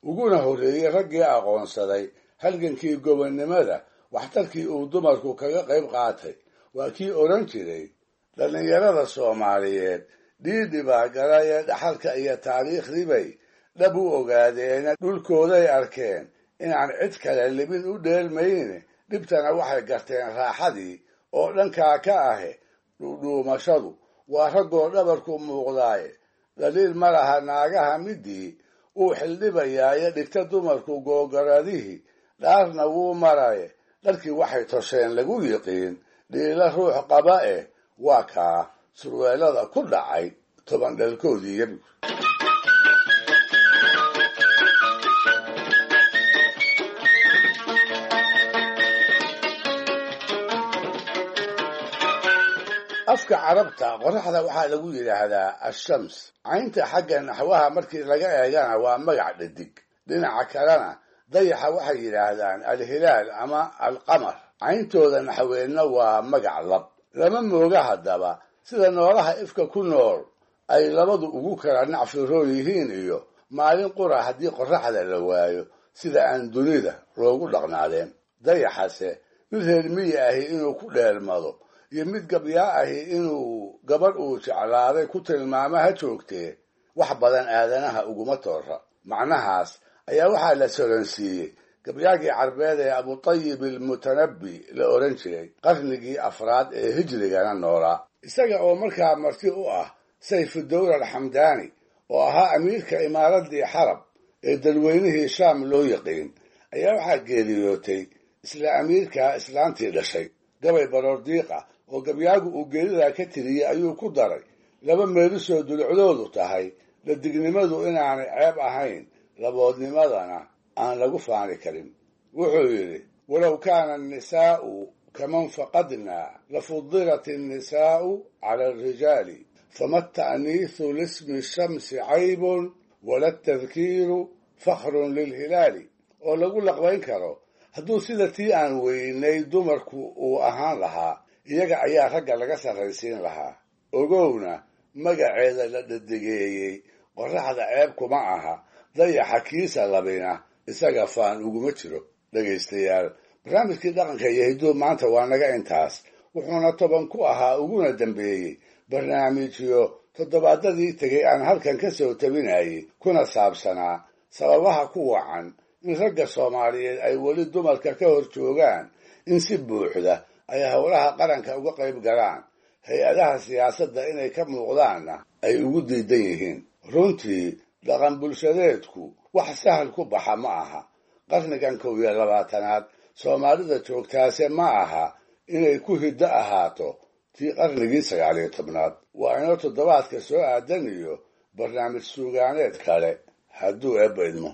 uguna horreeyey raggii aqoonsaday halgankii gobonnimada waxtarkii uu dumarku kaga qayb qaatay, waa kii odhan jiray, dhallinyarada Soomaaliyeed dhiidhi baa galaya, dhaxalka iyo taariikhdibay dhab u ogaadeena, dhulkooday arkeen inaan cid kale libin u dheelmayne, dhibtana waxay garteen raaxadii oo dhankaa ka ahe. Dhuudhuumashadu waa raggoo dhabarku muuqdaaye, dhaliil ma laha naagaha midii uu xildhibayaaye, dhigta dumarku googaradihii dhaarna wuu maraye, dharkii waxay tosheen lagu yiqiin dhiila ruux qaba eh, waa kaa surweelada ku dhacay 10 dhalkoodii yabi. Afka Carabta qoraxda waxaa lagu yidhaahdaa ashams. Caynta xagga naxwaha markii laga eegana waa magac dhadig. Dhinaca kalena dayaxa waxay yidhaahdaan alhilaal ama alqamar, cayntooda naxweedna waa magac lab. Lama mooga haddaba sida noolaha ifka ku nool ay labadu ugu kala nacfiroon yihiin, iyo maalin qura haddii qoraxda la waayo sida aan dunida loogu dhaqnaadeen. Dayaxase mid reer miyi ahi inuu ku dheelmado iyo mid gabyaa ahi inuu gabadh uu jeclaaday ku tilmaamo ha joogtee, wax badan aadanaha uguma toora. Macnahaas ayaa waxaa la soransiiyey gabyaagii Carbeed ee Abutayib Almutanabbi la odhan jiray, qarnigii afraad ee hijrigana noolaa, isaga oo markaa marti u ah Sayfudowla Alxamdaani oo ahaa amiirka imaaradii Xarab ee dadweynihii Shaam loo yaqiin, ayaa waxaa geeriyootay isla amiirkaa islaantii dhashay. Gabay baroordiiqa oo gabyaagu uu geeridaa ka tiriyey ayuu ku daray laba meelisoo dulucdoodu tahay dhadignimadu inaanay ceeb ahayn, laboodnimadana aan lagu faani karin. Wuxuu yidhi: walow kaana annisaa'u kaman faqadnaa lafudilat annisaa'u cala alrijaali, fama ata'niisu lismi shamsi caybun wala atadkiiru fakhrun lilhilaali. Oo lagu laqbayn karo hadduu sida tii aan weynay dumarku uu ahaan lahaa, iyaga ayaa ragga laga sarraysiin lahaa. Ogowna magaceeda la dhadigeeyey qorraxda ceeb kuma aha, dayaxa kiisa labina isaga faan uguma jiro. Dhegaystayaal, barnaamijkii dhaqanka iyo hidduu maanta waa naga intaas, wuxuuna 10 ku ahaa uguna dambeeyey barnaamijyo toddobaadadii tegey aan halkan ka soo tabinayay, kuna saabsanaa sababaha ku wacan in ragga Soomaaliyeed ay weli dumarka ka hor joogaan in si buuxda ay howlaha qaranka uga qayb galaan, hay-adaha siyaasadda inay ka muuqdaanna ay ugu diidan yihiin. Runtii dhaqan bulshadeedku wax sahal ku baxa ma aha. Qarnigan 21aad Soomaalida joogtaase ma aha inay ku hiddo ahaato tii qarnigii 19aad. Waa inoo toddobaadka soo aadan iyo barnaamij suugaaneed kale hadduu Eebba idmo.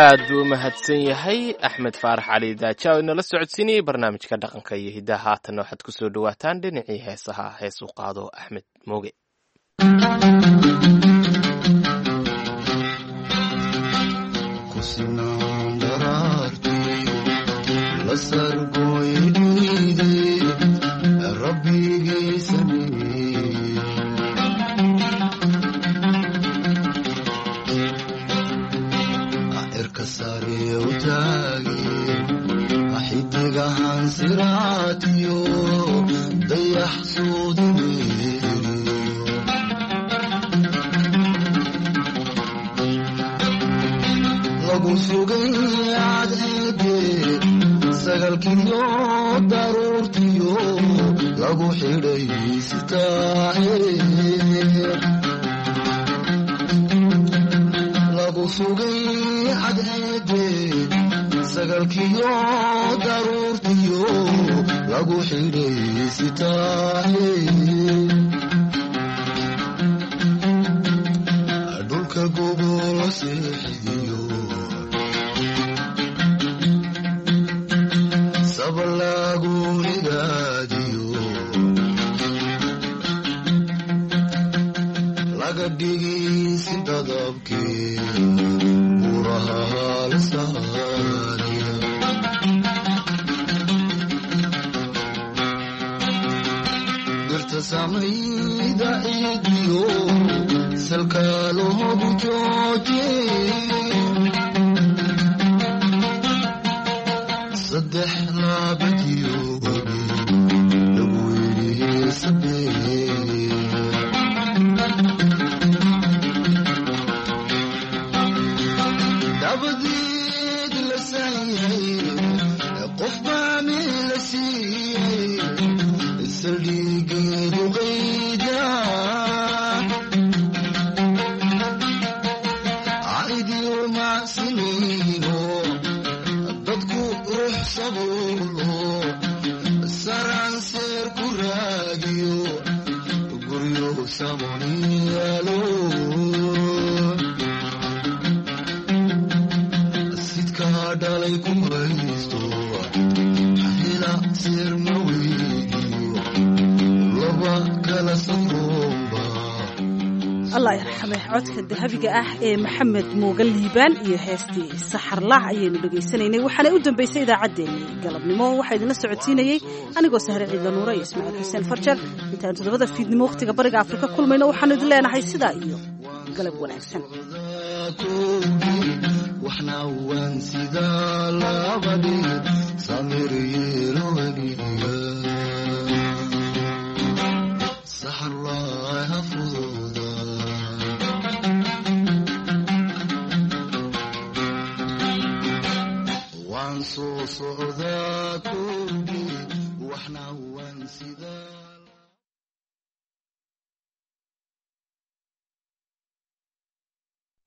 Aad buu u mahadsan yahay Axmed Faarax Cali Daaja oo inala socodsiinayay barnaamijka dhaqanka iyo hiddaha. Haatanna waxaad ku soo dhowaataan dhinacii heesaha, hees u qaado Axmed Mooge. Allah yarxame, codka dahabiga ah ee Maxamed Mooga Liibaan iyo heestii Saxarlaac ayaynu dhegaysanaynay, waxaana u dambaysay idaacaddeenii galabnimo. Waxaa idinla socodsiinayey anigoo Sahre Ciidla Nuure iyo Ismaaciil Xuseen Farjar. Intaanu 7da fiidnimo wakhtiga Bariga Afrika kulmayno, waxaanu idin leenahay sidaa iyo galab wanaagsan.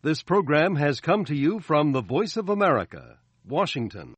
This program has come to you from the Voice of America, Washington.